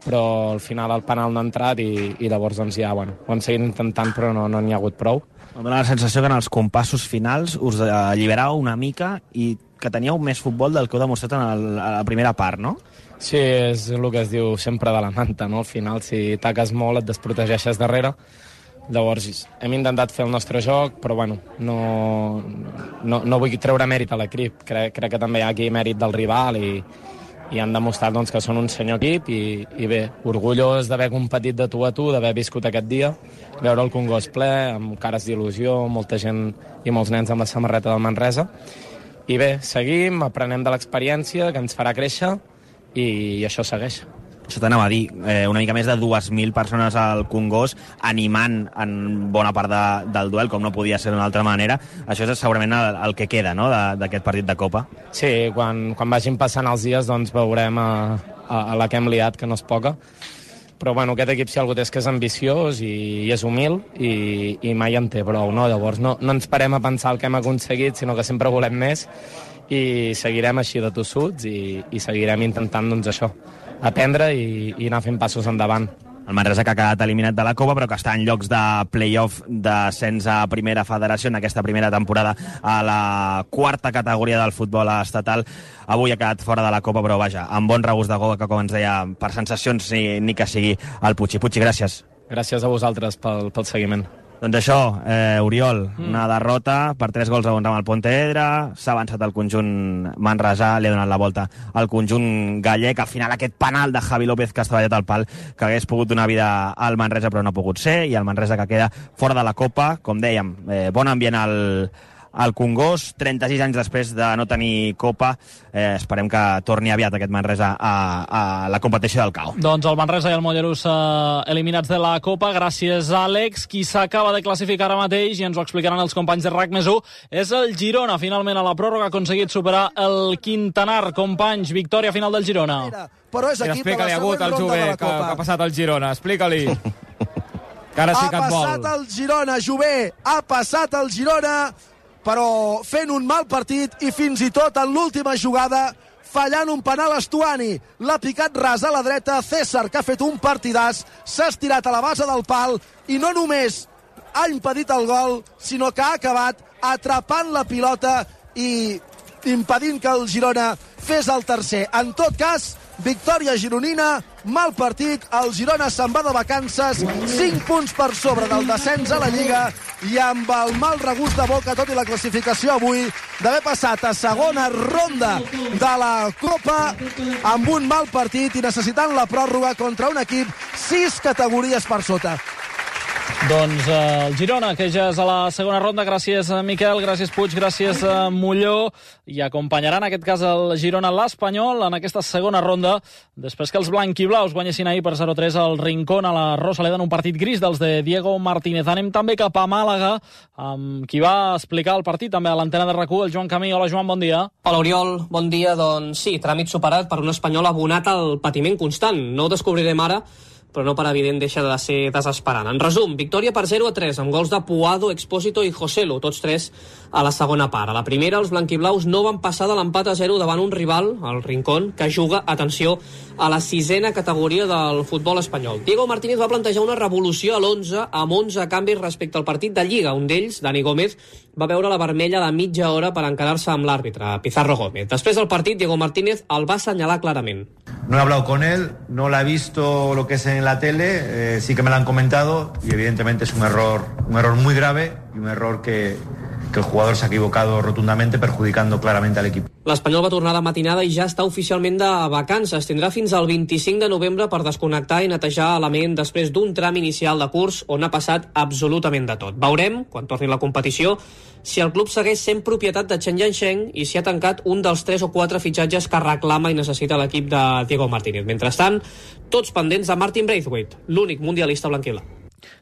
però al final el penal no ha entrat i llavors doncs ja, bueno, ho hem seguit intentant però no n'hi ha hagut prou. Em dóna la sensació que en els compassos finals us alliberàveu una mica i que teníeu més futbol del que heu demostrat a la primera part, no? Sí, és el que es diu sempre de la manta, no? Al final, si taques molt, et desprotegeixes darrere. Llavors, hem intentat fer el nostre joc, però bueno, no vull treure mèrit a l'equip. Crec que també hi ha aquí mèrit del rival i han demostrat doncs, que són un senyor equip i bé, orgullós d'haver competit de tu a tu, d'haver viscut aquest dia, veure el Congost ple, amb cares d'il·lusió, molta gent i molts nens amb la samarreta del Manresa. I bé, seguim, aprenem de l'experiència, que ens farà créixer, i això segueix. Això t'anava a dir, una mica més de 2.000 persones al Congost animant en bona part del duel, com no podia ser d'una altra manera. Això és segurament el que queda, no?, d'aquest partit de Copa. Sí, quan vagin passant els dies doncs veurem a la que hem liat, que no és poca. Però bueno, aquest equip si algú té és que és ambiciós i és humil i mai en té prou, no? Llavors no ens parem a pensar el que hem aconseguit, sinó que sempre volem més i seguirem així de tossuts i seguirem intentant doncs això, aprendre i anar fent passos endavant. El Manresa que ha quedat eliminat de la Copa però que està en llocs de play-off d'ascens a primera federació en aquesta primera temporada a la quarta categoria del futbol estatal. Avui ha quedat fora de la Copa però vaja, amb bon regust de gol que com ens deia, per sensacions ni que sigui el Puig. Puig, gràcies. Gràcies a vosaltres pel seguiment. Doncs això, Oriol, una derrota per 3 gols a 1 amb el Pontevedra, s'ha avançat el conjunt manresà, li ha donat la volta al conjunt gallec, al final aquest penal de Javi López que ha estavellat al pal, que hagués pogut donar vida al Manresa però no ha pogut ser, i el Manresa que queda fora de la Copa, com dèiem, bon ambient al Congost, 36 anys després de no tenir Copa, esperem que torni aviat aquest Manresa a la competició del CAO. Doncs el Manresa i el Mollerussa eliminats de la Copa, gràcies Àlex. Qui s'acaba de classificar ara mateix, i ens ho explicaran els companys de RAC+1, és el Girona, finalment a la pròrroga ha aconseguit superar el Quintanar. Companys, victòria final del Girona. Però és equip de la següent ronda de la Copa. Que ha passat el Girona, explica-li. Que ara sí que et vol. Ha passat el Girona, Jové, ha passat el Girona, però fent un mal partit i fins i tot en l'última jugada fallant un penal a Stuani. L'ha picat ras a la dreta, César, que ha fet un partidàs, s'ha estirat a la base del pal i no només ha impedit el gol, sinó que ha acabat atrapant la pilota i impedint que el Girona fes el tercer. En tot cas, victòria gironina, mal partit, el Girona se'n va de vacances, 5 punts per sobre del descens a la Lliga i amb el mal regust de boca, tot i la classificació avui, d'haver passat a segona ronda de la Copa amb un mal partit i necessitant la pròrroga contra un equip 6 categories per sota. Doncs el Girona, que ja és a la segona ronda. Gràcies, Miquel, gràcies, Puig, gràcies, Molló. I acompanyaran, en aquest cas, el Girona l'Espanyol en aquesta segona ronda, després que els blanquiblaus guanyessin ahir per 0-3 al Rincón a la Rosaleda en un partit gris dels de Diego Martínez. Anem també cap a Màlaga, amb qui va explicar el partit també a l'antena de RAC1, el Joan Camí. Hola, Joan, bon dia. Hola, Oriol, bon dia. Doncs sí, tràmit superat per un espanyol abonat al patiment constant. No ho descobrirem ara, però no per evident deixa de ser desesperant. En resum, victòria per 0-3 amb gols de Puado, Expósito i Joselu, tots 3 a la segona part. A la primera, els blanquiblaus no van passar de l'empat a 0 davant un rival, el Rincón, que juga, atenció, a la 6a categoria del futbol espanyol. Diego Martínez va plantejar una revolució a l'11 amb 11 canvis respecte al partit de Lliga. Un d'ells, Dani Gómez, va veure la vermella de mitja hora per encarar-se amb l'àrbitre, Pizarro Gómez. Després del partit, Diego Martínez el va assenyalar clarament. No he hablado con él, no la he visto lo que es en la tele, sí que me lo han comentado y evidentemente es un error muy grave y un error que el jugador se ha equivocado rotundamente, perjudicando claramente al equipo. L'Espanyol va tornar de matinada i ja està oficialment de vacances. Tindrà fins al 25 de novembre per desconnectar i netejar l'element després d'un tram inicial de curs on ha passat absolutament de tot. Veurem, quan torni la competició, si el club segueix sent propietat de Chen Yansheng i si ha tancat un dels 3 o 4 fitxatges que reclama i necessita l'equip de Diego Martínez. Mentrestant, tots pendents de Martin Braithwaite, l'únic mundialista blanquiblau.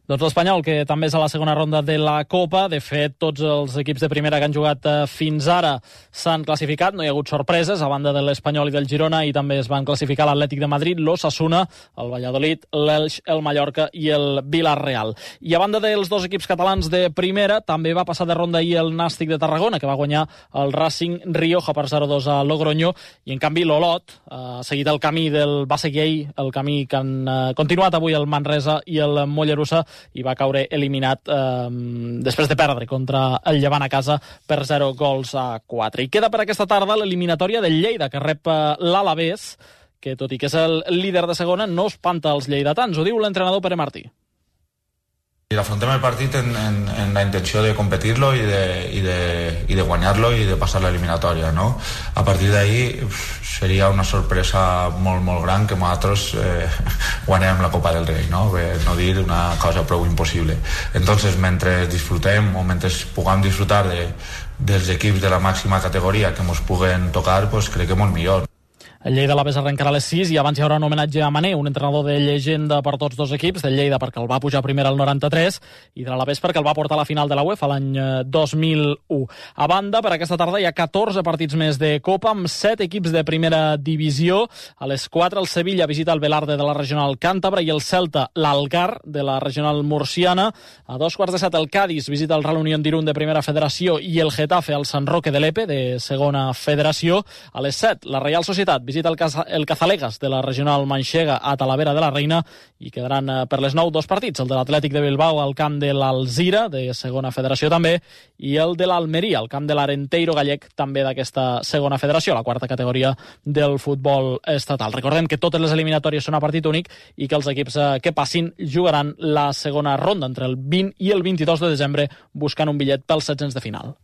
Doncs l'Espanyol, que també és a la segona ronda de la Copa. De fet, tots els equips de primera que han jugat fins ara s'han classificat. No hi ha hagut sorpreses, a banda de l'Espanyol i del Girona, i també es van classificar l'Atlètic de Madrid, l'Osasuna, el Valladolid, l'Elx, el Mallorca i el Villarreal. I a banda dels dos equips catalans de primera, també va passar de ronda ahir el Nàstic de Tarragona, que va guanyar el Racing Rioja per 0-2 a Logroño, i en canvi l'Olot ha seguit el camí va seguir ahir el camí que han continuat avui el Manresa i el Mollerussa, i va caure eliminat després de perdre contra el Llevant a casa per 0-4. I queda per aquesta tarda l'eliminatòria del Lleida, que rep l'Alavés, que tot i que és el líder de segona, no espanta els lleidatans. Ho diu l'entrenador Pere Martí. Y afrontem el partit en la intenció de competir-lo i de guanyar-lo i de passar l'eliminatòria, no? A partir d'ahí seria una sorpresa molt, molt gran que nosaltres guanyem la Copa del Rei, no? No dir una cosa prou impossible. Entonces, mentre disfrutem o mentre puguem disfrutar dels equips de la màxima categoria que ens puguen tocar, pues crec que molt millor. El Lleida a l'Aves arrencarà a les 6 i abans hi haurà un homenatge a Mané, un entrenador de llegenda per tots dos equips, del Lleida perquè el va pujar primer al 93 i de l'Aves perquè el va portar a la final de la UEFA l'any 2001. A banda, per aquesta tarda hi ha 14 partits més de Copa amb 7 equips de primera divisió. A les 4 el Sevilla visita el Velarde de la regional càntabra i el Celta l'Algar de la regional murciana. A 2:15 el Cádiz visita el Real Unión d'Irún de primera federació i el Getafe al Sant Roque de Lepe de segona federació. A les 7 la Reial Societat visita el Cazalegas de la regional manxega a Talavera de la Reina i quedaran per les 9 dos partits, el de l'Atlètic de Bilbao al camp de l'Alzira, de segona federació també, i el de l'Almeria, al camp de l'Arenteiro gallec, també d'aquesta segona federació, la quarta categoria del futbol estatal. Recordem que totes les eliminatòries són a partit únic i que els equips que passin jugaran la segona ronda entre el 20 i el 22 de desembre buscant un bitllet pels 16 de final.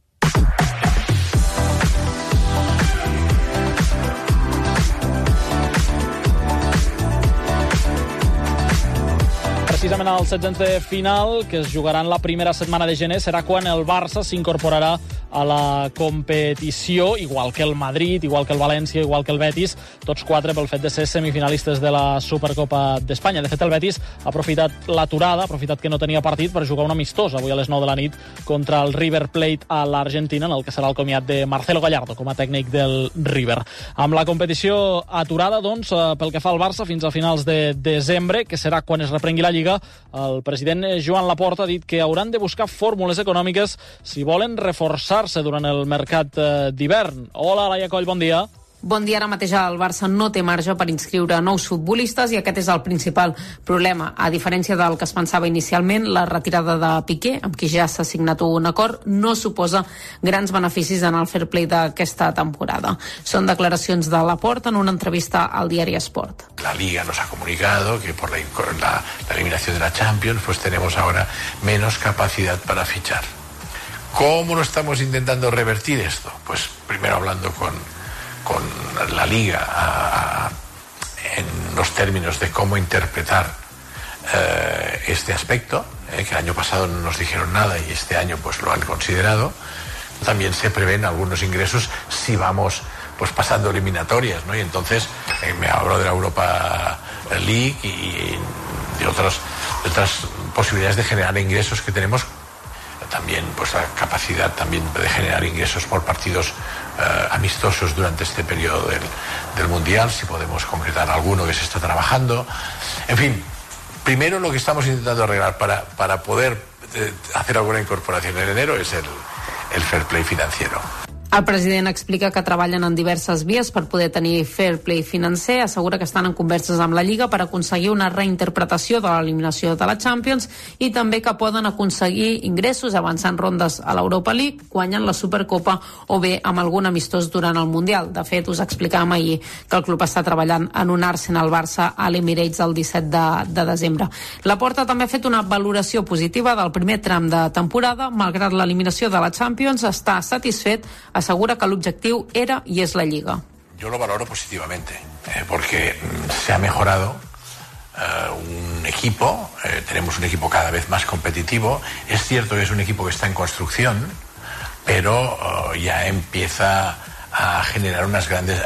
Precisament als 16 de final, que es jugaran la primera setmana de gener, serà quan el Barça s'incorporarà a la competició, igual que el Madrid, igual que el València, igual que el Betis, tots 4 pel fet de ser semifinalistes de la Supercopa d'Espanya. De fet, el Betis ha aprofitat l'aturada, ha aprofitat que no tenia partit per jugar un amistós avui a les 9 de la nit contra el River Plate a l'Argentina, en el que serà el comiat de Marcelo Gallardo com a tècnic del River. Amb la competició aturada, doncs, pel que fa al Barça, fins a finals de desembre, que serà quan es reprengui la Lliga, el president Joan Laporta ha dit que hauran de buscar fórmules econòmiques si volen reforçar-se durant el mercat d'hivern. Hola, Laia Coll, bon dia. Bon dia. Ara mateix el Barça no té marge per inscriure nous futbolistes i aquest és el principal problema. A diferència del que es pensava inicialment, la retirada de Piqué, amb qui ja s'ha signat un acord, no suposa grans beneficis en el fair play d'aquesta temporada. Són declaracions de Laporta en una entrevista al diari Sport. La Liga nos ha comunicado que por la eliminación de la Champions pues tenemos ahora menos capacidad para fichar. ¿Cómo lo estamos intentando revertir esto? Pues primero hablando con la Liga en los términos de cómo interpretar este aspecto, que el año pasado no nos dijeron nada y este año pues lo han considerado. También se prevén algunos ingresos si vamos pues pasando eliminatorias, ¿no? Y entonces me hablo de la Europa League y de otras posibilidades de generar ingresos que tenemos. También pues la capacidad también de generar ingresos por partidos amistosos durante este periodo del Mundial, si podemos concretar alguno que se está trabajando. En fin, primero lo que estamos intentando arreglar para poder hacer alguna incorporación en enero es el fair play financiero. El president explica que treballen en diverses vies per poder tenir fair play financer, assegura que estan en converses amb la Lliga per aconseguir una reinterpretació de l'eliminació de la Champions i també que poden aconseguir ingressos avançant rondes a l'Europa League, guanyant la Supercopa o bé amb algun amistós durant el Mundial. De fet, us explicàvem ahir que el club està treballant en un Arsenal-Barça a l'Emirates el 17 de desembre. Laporta també ha fet una valoració positiva del primer tram de temporada, malgrat l'eliminació de la Champions, està satisfet, asegura que l'objectiu era y es la Liga. Yo lo valoro positivamente, porque se ha mejorado un equipo, tenemos un equipo cada vez más competitivo. Es cierto que es un equipo que está en construcción, pero ya empieza a generar unas grandes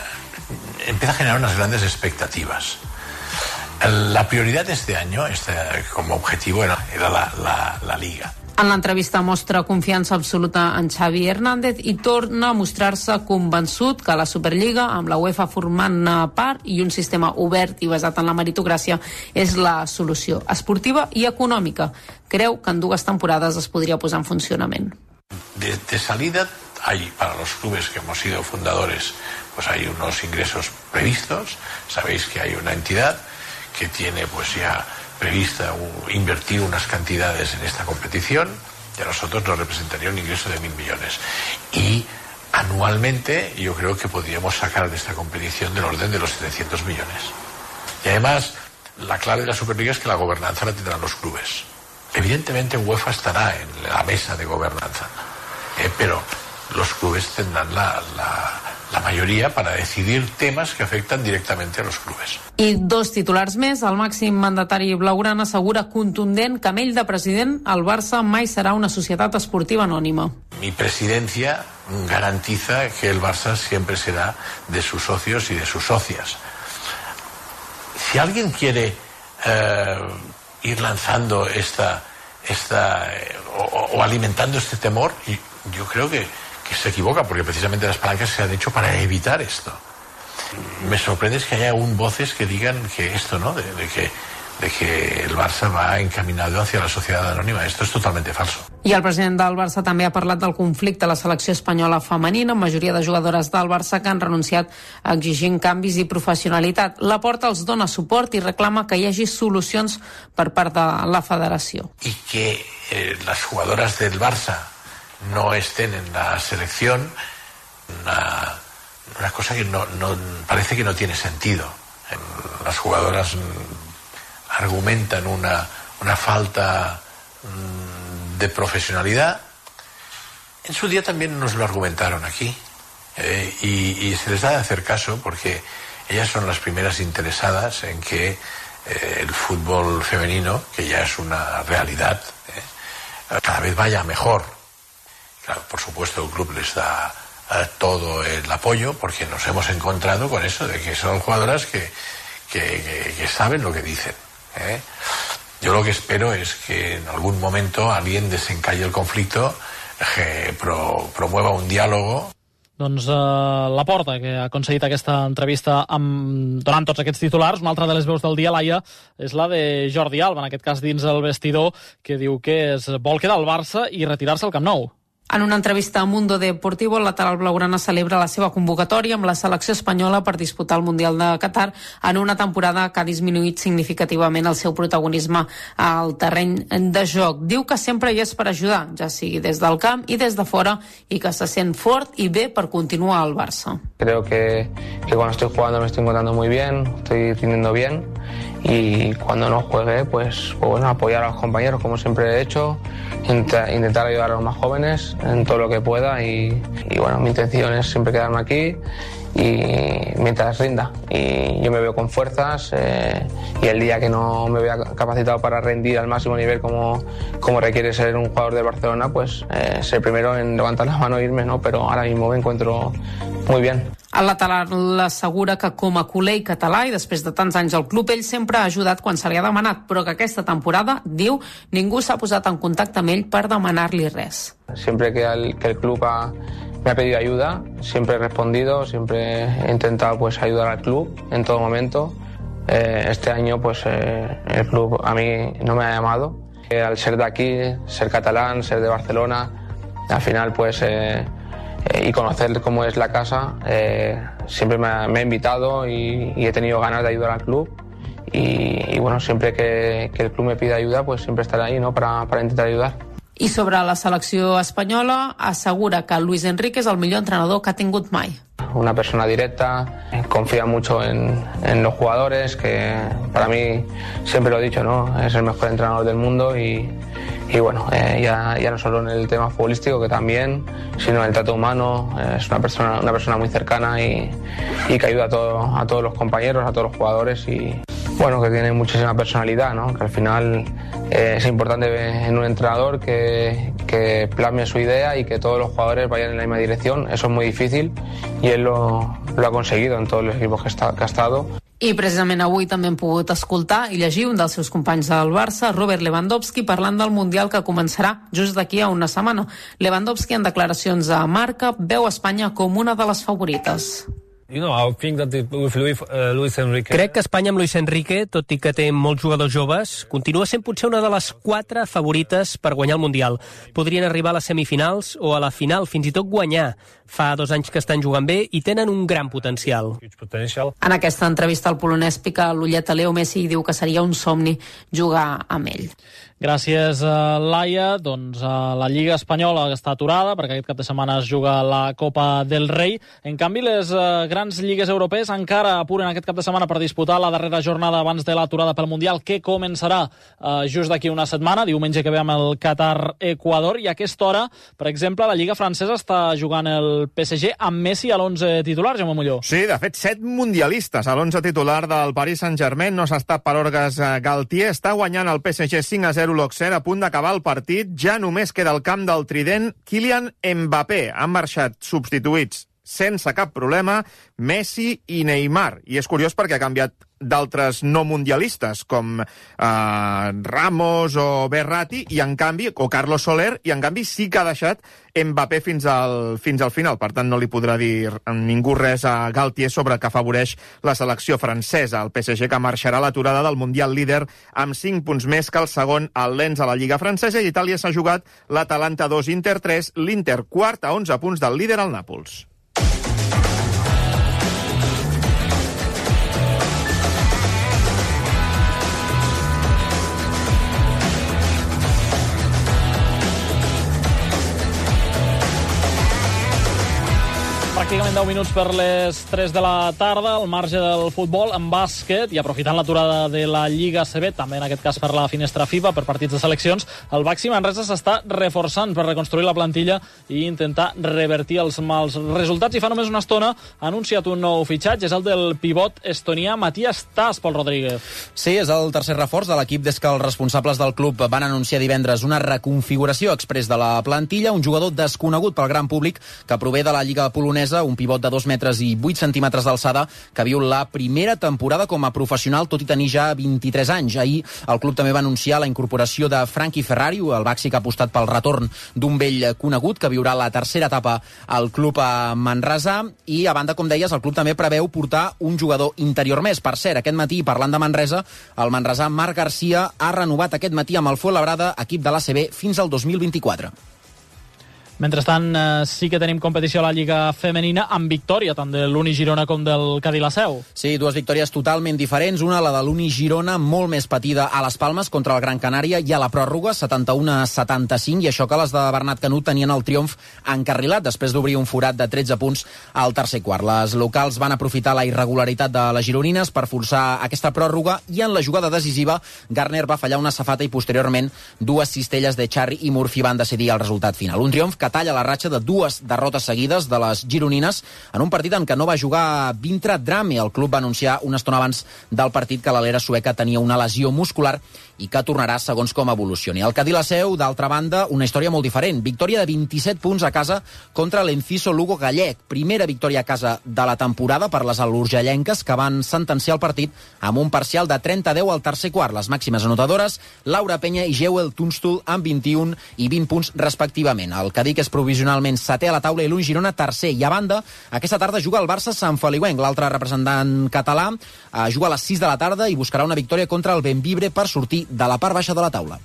expectativas. La prioridad de este año, como objetivo, era la Liga. En l'entrevista mostra confiança absoluta en Xavi Hernández i torna a mostrar-se convençut que la Superliga, amb la UEFA formant part i un sistema obert i basat en la meritocràcia, és la solució esportiva i econòmica. Creu que en 2 temporades es podria posar en funcionament. De salida hay, para los clubes que hemos sido fundadores, pues hay unos ingresos previstos. Sabéis que hay una entidad que tiene pues ya prevista invertir unas cantidades en esta competición y a nosotros nos representaría un ingreso de 1.000 millones. Y anualmente yo creo que podríamos sacar de esta competición del orden de los 700 millones. Y además, la clave de la Superliga es que la gobernanza la tendrán los clubes. Evidentemente UEFA estará en la mesa de gobernanza, pero los clubes tendrán la mayoría para decidir temas que afectan directamente a los clubes. I dos titulars més. El màxim mandatari blaugrana assegura contundent que amb ell de president el Barça mai serà una societat esportiva anònima. Mi presidencia garantiza que el Barça siempre será de sus socios y de sus socias. Si alguien quiere ir lanzando o alimentando este temor, yo creo que se equivoca, porque precisamente las palancas se han hecho para evitar esto. Me sorprende que haya aún voces que digan que esto, ¿no? De que el Barça va encaminado hacia la sociedad anònima. Esto es totalmente falso. I el president del Barça també ha parlat del conflicte a la selecció espanyola femenina, amb majoria de jugadores del Barça que han renunciat exigint canvis i professionalitat. Laporta els dona suport i reclama que hi hagi solucions per part de la federació. Y que las jugadoras del Barça no estén en la selección, una cosa que no parece que no tiene sentido. Las jugadoras argumentan una falta de profesionalidad. En su día también nos lo argumentaron aquí, y se les da de hacer caso, porque ellas son las primeras interesadas en que el fútbol femenino, que ya es una realidad, cada vez vaya mejor. Claro, por supuesto el club les da todo el apoyo, porque nos hemos encontrado con eso de que son jugadoras que saben lo que dicen. Yo lo que espero es que en algún momento alguien desencalle el conflicto, que promueva un diálogo. Doncs Laporta, que ha aconseguit aquesta entrevista donant tots aquests titulars. Una altra de les veus del dia, Laia, és la de Jordi Alba, en aquest cas dins el vestidor, que diu que es vol quedar al Barça i retirar-se al Camp Nou. En una entrevista a Mundo Deportivo, el lateral blaugrana celebra la seva convocatòria amb la selecció espanyola per disputar el Mundial de Qatar en una temporada que ha disminuït significativament el seu protagonisme al terreny de joc. Diu que sempre hi és per ajudar, ja sigui des del camp i des de fora, i que se sent fort i bé per continuar al Barça. Creo que cuando estoy jugando me estoy encontrando muy bien, estoy rindiendo bien, y cuando no juegue, pues bueno, apoyar a los compañeros como siempre he hecho, intentar ayudar a los más jóvenes en todo lo que pueda, y bueno, mi intención es siempre quedarme aquí y mientras rinda, y yo me veo con fuerzas, y el día que no me vea capacitado para rendir al máximo nivel como requiere ser un jugador de Barcelona, pues ser primero en levantar la mano e irme, ¿no? Pero ahora mismo me encuentro muy bien. El lateral assegura que com a culer i català, i després de tants anys al club, ell sempre ha ajudat quan se li ha demanat, però que aquesta temporada, diu, ningú s'ha posat en contacte amb ell per demanar-li res. Siempre que el club me ha pedido ayuda, siempre he respondido, siempre he intentado pues ayudar al club en todo momento. Este año pues el club a mí no me ha llamado. Al ser de aquí, ser catalán, ser de Barcelona, al final pues y conocer cómo es la casa, siempre me ha invitado y he tenido ganas de ayudar al club, y bueno, siempre que el club me pida ayuda, pues siempre estaré ahí, ¿no? para intentar ayudar. I sobre la selecció espanyola, assegura que Luis Enrique és el millor entrenador que ha tingut mai. Una persona directa, confía mucho en los jugadores, que para mí, siempre lo he dicho, ¿no? Es el mejor entrenador del mundo, y bueno, ya no solo en el tema futbolístico, que también, sino en el trato humano. Es una persona muy cercana y que ayuda a todos los compañeros, a todos los jugadores, y bueno, que tiene muchísima personalidad, ¿no? Que al final es importante en un entrenador que plasme su idea y que todos los jugadores vayan en la misma dirección. Eso es muy difícil, y él lo ha conseguido en todos los equipos que ha estado. I precisament avui també hem pogut escoltar i llegir un dels seus companys del Barça, Robert Lewandowski, parlant del Mundial que començarà just d'aquí a una setmana. Lewandowski, en declaracions a Marca, veu Espanya com una de les favorites. Crec que Espanya amb Luis Enrique, tot i que té molts jugadors joves, continua sent potser una de les 4 favorites per guanyar el Mundial. Podrien arribar a les semifinals o a la final, fins i tot guanyar. Fa 2 anys que estan jugant bé i tenen un gran potencial. En aquesta entrevista el polonès pica l'ullet a Leo Messi i diu que seria un somni jugar amb ell. Gràcies, Laia. Doncs la Lliga Espanyola està aturada perquè aquest cap de setmana es juga la Copa del Rei. En canvi, les grans lligues europees encara apuren aquest cap de setmana per disputar la darrera jornada abans de l'aturada pel Mundial, que començarà just d'aquí una setmana, diumenge que ve amb el Qatar-Equador. I a aquesta hora, per exemple, la Lliga francesa està jugant el PSG amb Messi a l'11 titular, Jaume Molló. Sí, de fet, 7 mundialistes a l'11 titular del Paris Saint-Germain. No s'està per orgues Galtier. Està guanyant el PSG 5-0 l'Auxerre, a punt d'acabar el partit. Ja només queda al camp del trident Kylian Mbappé. Han marxat substituïts sense cap problema Messi i Neymar. I és curiós perquè ha canviat d'altres no mundialistes, com Ramos o Berratti, i en canvi, o Carlos Soler, i en canvi sí que ha deixat Mbappé fins al final. Per tant, no li podrà dir ningú res a Galtier sobre que afavoreix la selecció francesa. El PSG, que marxarà a l'aturada del Mundial líder amb 5 punts més que el segon, el Lens, a la Lliga francesa, i Itàlia s'ha jugat l'Atalanta 2, Inter 3, l'Inter quart a 11 punts del líder, al Nàpols. Pràcticament 10 minuts per les 3 de la tarda, al marge del futbol, en bàsquet, i aprofitant l'aturada de la Lliga ACB, també en aquest cas per la finestra FIBA, per partits de seleccions, el Baxi Manresa s'està reforçant per reconstruir la plantilla i intentar revertir els mals resultats. I fa només una estona ha anunciat un nou fitxatge, és el del pivot estonià Matías Tas, Pol Rodríguez. Sí, és el tercer reforç de l'equip des que els responsables del club van anunciar divendres una reconfiguració express de la plantilla, un jugador desconegut pel gran públic que prové de la Lliga polonesa, un pivot de 2 metres i 8 centímetres d'alçada que viu la primera temporada com a professional, tot i tenir ja 23 anys. Ahir el club també va anunciar la incorporació de Frankie Ferrari, el Baxi que ha apostat pel retorn d'un vell conegut que viurà la tercera etapa al club a Manresa. I a banda, com deies, el club també preveu portar un jugador interior més. Per cert, aquest matí, parlant de Manresa, el manresà Marc Garcia ha renovat aquest matí amb el Fuenlabrada, equip de l'ACB, fins al 2024. Mentrestant, sí que tenim competició a la Lliga Femenina amb victòria tant de l'Uni Girona com del Cadí la Seu. Sí, dues victòries totalment diferents. Una, la de l'Uni Girona, molt més patida a les Palmes contra el Gran Canària i a la pròrroga, 71-75, i això que les de Bernat Canut tenien el triomf encarrilat després d'obrir un forat de 13 punts al tercer quart. Les locals van aprofitar la irregularitat de les gironines per forçar aquesta pròrroga i en la jugada decisiva Garner va fallar una safata i posteriorment dues cistelles de Charri i Murphy van decidir el resultat final. Un triomf que talla la ratxa de 2 derrotes seguides de les gironines en un partit en què no va jugar Vintra Drame. El club va anunciar una estona abans del partit que l'alera sueca tenia una lesió muscular i que tornarà segons com evolucioni. El Cadí la Seu, d'altra banda, una història molt diferent. Victòria de 27 punts a casa contra l'Enciso Lugo gallec. Primera victòria a casa de la temporada per les alurgellenques, que van sentenciar el partit amb un parcial de 30-10 al tercer quart. Les màximes anotadores, Laura Penya i Jewel Tunstall, amb 21 i 20 punts respectivament. El Cadí, que és provisionalment setè a la taula, i l'Uni Girona tercer. I a banda, aquesta tarda juga el Barça Sant Feliuenc, l'altre representant català, juga a les 6 de la tarda i buscarà una victòria contra el Benvibre per sortir de la part baixa de la taula.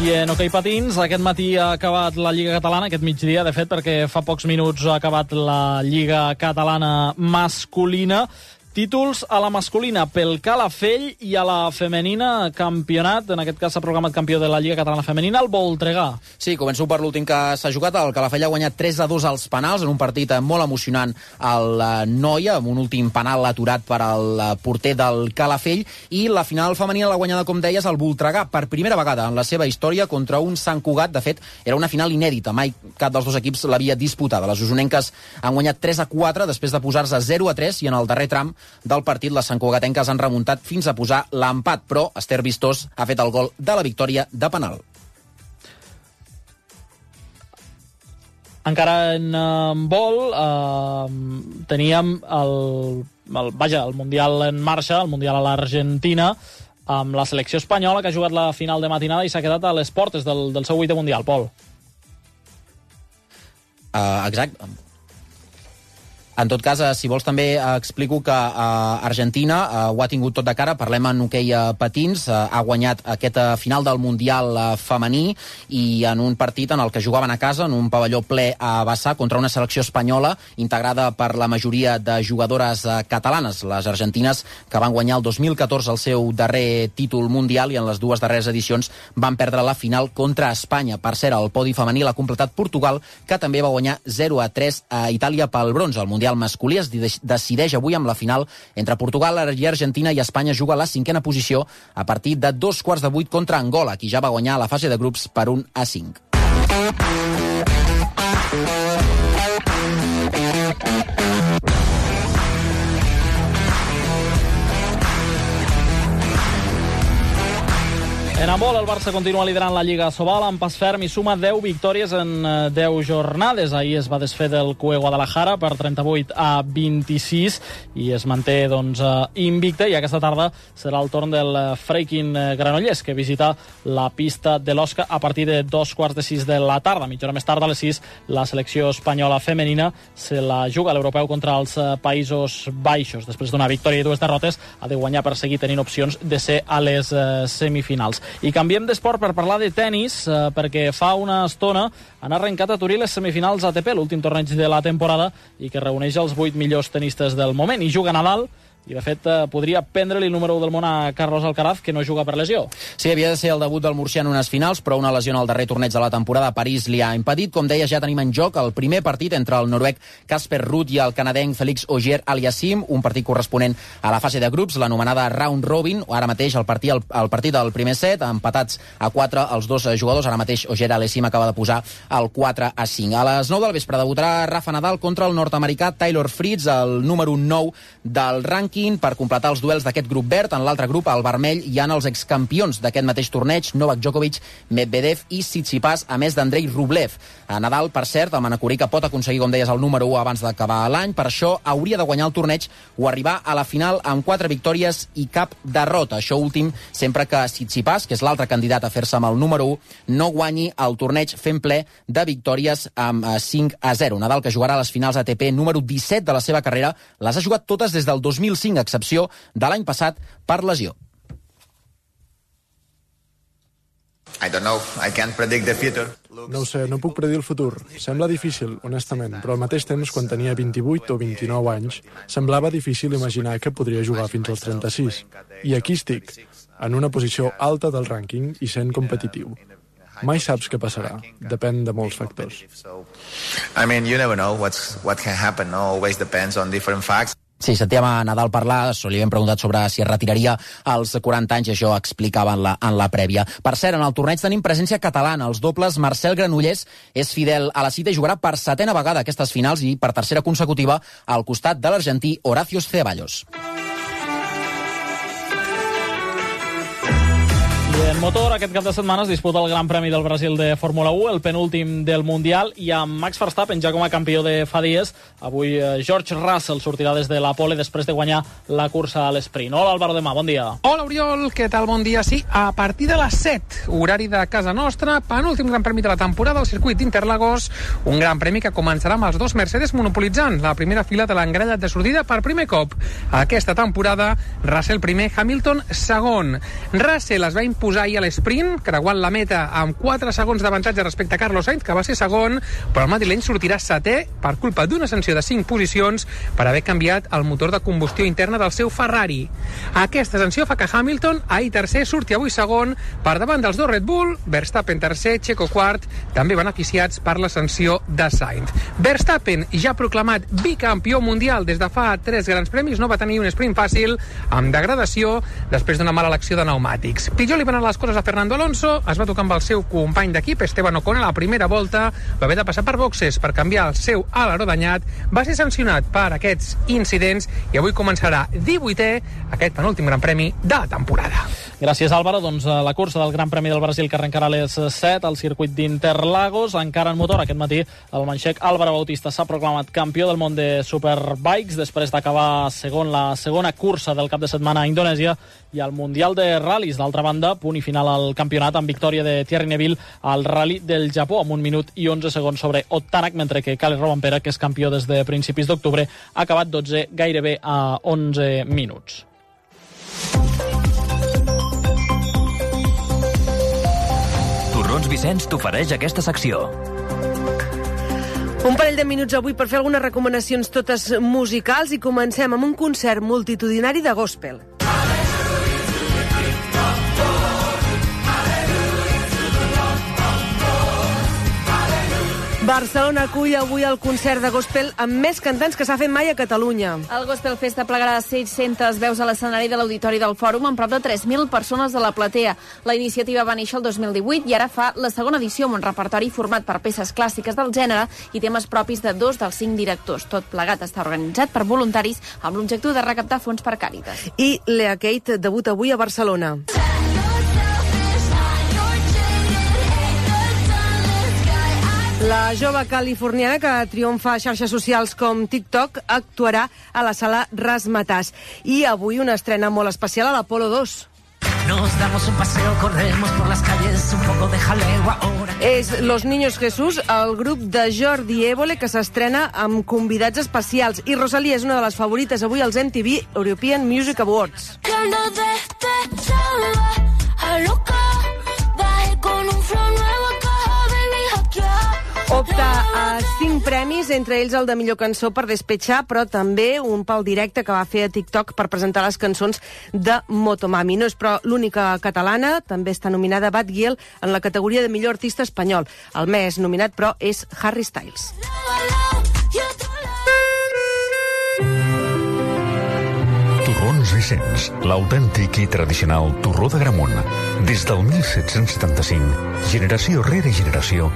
I en hoquei patins, aquest matí ha acabat la Lliga Catalana, aquest migdia, de fet, perquè fa pocs minuts ha acabat la Lliga Catalana masculina. Títols a la masculina pel Calafell i a la femenina campionat, en aquest cas s'ha proclamat campió de la Lliga Catalana Femenina, el Voltregà. Sí, començo per l'últim que s'ha jugat. El Calafell ha guanyat 3-2 als penals, en un partit molt emocionant al Noia, amb un últim penal aturat per al porter del Calafell, i la final femenina l'ha guanyada, com deies, el Voltregà, per primera vegada en la seva història contra un Sant Cugat. De fet, era una final inèdita, mai cap dels dos equips l'havia disputada. Les usonenques han guanyat 3-4 després de posar-se 0-3 i en el darrer tram del partit les santcugatenques han remuntat fins a posar l'empat, però Esther Vistós ha fet el gol de la victòria de penal. Encara en vol teníem el Mundial en marxa, el Mundial a l'Argentina, amb la selecció espanyola que ha jugat la final de matinada i s'ha quedat a les portes del seu 8è Mundial, Pol. Exacte. En tot cas, si vols també explico que Argentina ho ha tingut tot de cara. Parlem en hoquei patins. Ha guanyat aquest final del Mundial femení i en un partit en el que jugaven a casa, en un pavelló ple a vessar, contra una selecció espanyola integrada per la majoria de jugadores catalanes. Les argentines que van guanyar el 2014 el seu darrer títol mundial i en les dues darreres edicions van perdre la final contra Espanya. Per cert, el podi femení l'ha completat Portugal, que també va guanyar 0-3 a Itàlia pel bronze. El Mundial masculí es decideix avui amb la final entre Portugal i Argentina, i Espanya juga a la 5a posició a partir de 7:15 contra Angola, qui ja va guanyar la fase de grups per 1-5. En handbol, el Barça continua liderant la Lliga Sobal amb pas ferm i suma 10 victòries en 10 jornades. Ahir es va desfer del CUE Guadalajara per 38-26 i es manté invicte, i aquesta tarda serà el torn del Freikin Granollers, que visita la pista de l'Osca a partir de 5:15 de la tarda. Mitja hora més tard, a les 6, la selecció espanyola femenina se la juga a l'europeu contra els Països Baixos. Després d'una victòria i 2 derrotes, ha de guanyar per seguir tenint opcions de ser a les semifinals. I canviem d'esport per parlar de tennis, perquè fa una estona han arrencat a Turí les semifinals ATP, l'últim torneig de la temporada, i que reuneix els 8 millors tenistes del moment. I juga Nadal, i de fet podria prendre-li el número 1 del món a Carlos Alcaraz, que no juga per lesió. Sí, havia de ser el debut del murcià en unes finals, però una lesió en el darrer torneig de la temporada a París li ha impedit. Com deies, ja tenim en joc el primer partit entre el noruec Casper Ruud i el canadenc Félix Auger-Aliassime, un partit corresponent a la fase de grups, l'anomenada Round Robin. Ara mateix el partit del primer set, empatats a 4 els dos jugadors. Ara mateix Auger-Aliassime acaba de posar el 4-5. A les 9 del vespre debutarà Rafa Nadal contra el nord-americà Taylor Fritz, el número 9 del rànquing, per completar els duels d'aquest grup verd. En l'altre grup, al vermell, hi ha els excampions d'aquest mateix torneig, Novak Djokovic, Medvedev i Tsitsipas, a més d'Andrei Rublev. A Nadal, per cert, el manacorí que pot aconseguir, com deies, el número 1 abans d'acabar l'any. Per això hauria de guanyar el torneig o arribar a la final amb 4 victòries i cap derrota. Això últim sempre que Tsitsipas, que és l'altre candidat a fer-se amb el número 1, no guanyi el torneig fent ple de victòries amb 5-0. Nadal, que jugarà a les finals ATP número 17 de la seva carrera, les ha jugat totes des del 2005, a excepció de l'any passat per lesió. No ho sé, no puc predir el futur. Sembla difícil, honestament, però al mateix temps, quan tenia 28 o 29 anys, semblava difícil imaginar que podria jugar fins als 36. I aquí estic, en una posició alta del rànquing i sent competitiu. Mai saps què passarà. Depèn de molts factors. You never know what can happen. Always depends on different facts. Sí, sentíem a Nadal parlar, li hem preguntat sobre si es retiraria als 40 anys, i això explicava en la prèvia. Per cert, en el torneig tenim presència catalana. Els dobles, Marcel Granollers és fidel a la cita i jugarà per 7a vegada aquestes finals i per 3a consecutiva al costat de l'argentí Horacio Ceballos. I en motor, aquest cap de setmana es disputa el Gran Premi del Brasil de Fórmula 1, el penúltim del Mundial, i amb Max Verstappen ja com a campió de fa dies. Avui George Russell sortirà des de la pole després de guanyar la cursa a l'esprint. Hola, Álvaro Demà, bon dia. Hola, Oriol, què tal? Bon dia. Sí, a partir de les 7, horari de casa nostra, penúltim Gran Premi de la temporada al circuit d'Interlagos, un Gran Premi que començarà amb els dos Mercedes monopolitzant la primera fila de l'engrellat de sortida per primer cop. Aquesta temporada, Russell primer, Hamilton segon. Russell es va imposar ahir a l'esprint, creuant la meta amb 4 segons d'avantatge respecte a Carlos Sainz, que va ser segon, però el madrileny sortirà setè per culpa d'una sanció de 5 posicions per haver canviat el motor de combustió interna del seu Ferrari. Aquesta sanció fa que Hamilton, ahir tercer, surti avui segon per davant dels dos Red Bull, Verstappen tercer, Checo quart, també beneficiats per la sanció de Sainz. Verstappen, ja proclamat bicampió mundial des de fa 3 grans premis, no va tenir un sprint fàcil, amb degradació, després d'una mala elecció de pneumàtics. Pitjor li van anar les coses a Fernando Alonso, es va tocar amb el seu company d'equip, Esteban Ocon, a la primera volta, va haver de passar per boxes per canviar el seu aleró danyat, va ser sancionat per aquests incidents i avui començarà 18è aquest penúltim Gran Premi de la temporada. Gràcies, Álvaro. Doncs la cursa del Gran Premi del Brasil que arrencarà a les 7 al circuit d'Interlagos. Encara en motor, aquest matí el manxec Álvaro Bautista s'ha proclamat campió del món de Superbikes després d'acabar la segona cursa del cap de setmana a Indonèsia, i al Mundial de Ral·lis. D'altra banda, punt i final al campionat amb victòria de Thierry Neville al Rally del Japó amb 1 minut i 11 segons sobre Otanak, mentre que Kalle Rovanpera, que és campió des de principis d'octubre, ha acabat 12 gairebé a 11 minuts. Torrons Vicenç t'ofereix aquesta secció. Un parell de minuts avui per fer algunes recomanacions totes musicals, i comencem amb un concert multitudinari de gospel. Barcelona acull avui el concert de gospel amb més cantants que s'ha fet mai a Catalunya. El Gospel Festa plegarà 600 veus a l'escenari de l'Auditori del Fòrum amb prop de 3.000 persones de la platea. La iniciativa va néixer el 2018 i ara fa la segona edició amb un repertori format per peces clàssiques del gènere i temes propis de 2 dels 5 directors. Tot plegat està organitzat per voluntaris amb l'objectiu de recaptar fons per Càritas. I Lea Kate debuta avui a Barcelona. La jove californiana, que triomfa a xarxes socials com TikTok, actuarà a la sala Razzmatazz. I avui una estrena molt especial a l'Apolo 2. Nos damos un paseo, corremos por las calles, un poco de jaleo ahora. És Los Niños Jesús, el grup de Jordi Évole, que s'estrena amb convidats especials. I Rosalía és una de les favorites avui als MTV European Music Awards. Opta a 5 premis, entre ells el de millor cançó per Despechar, però també un pel directe que va fer a TikTok per presentar les cançons de Motomami. No és però l'única catalana, també està nominada Bad Gyal en la categoria de millor artista espanyol. El més nominat, però, és Harry Styles. Torrons Vicenç, l'autèntic i tradicional torró de Gramunt. Des del 1775, generació rere generació,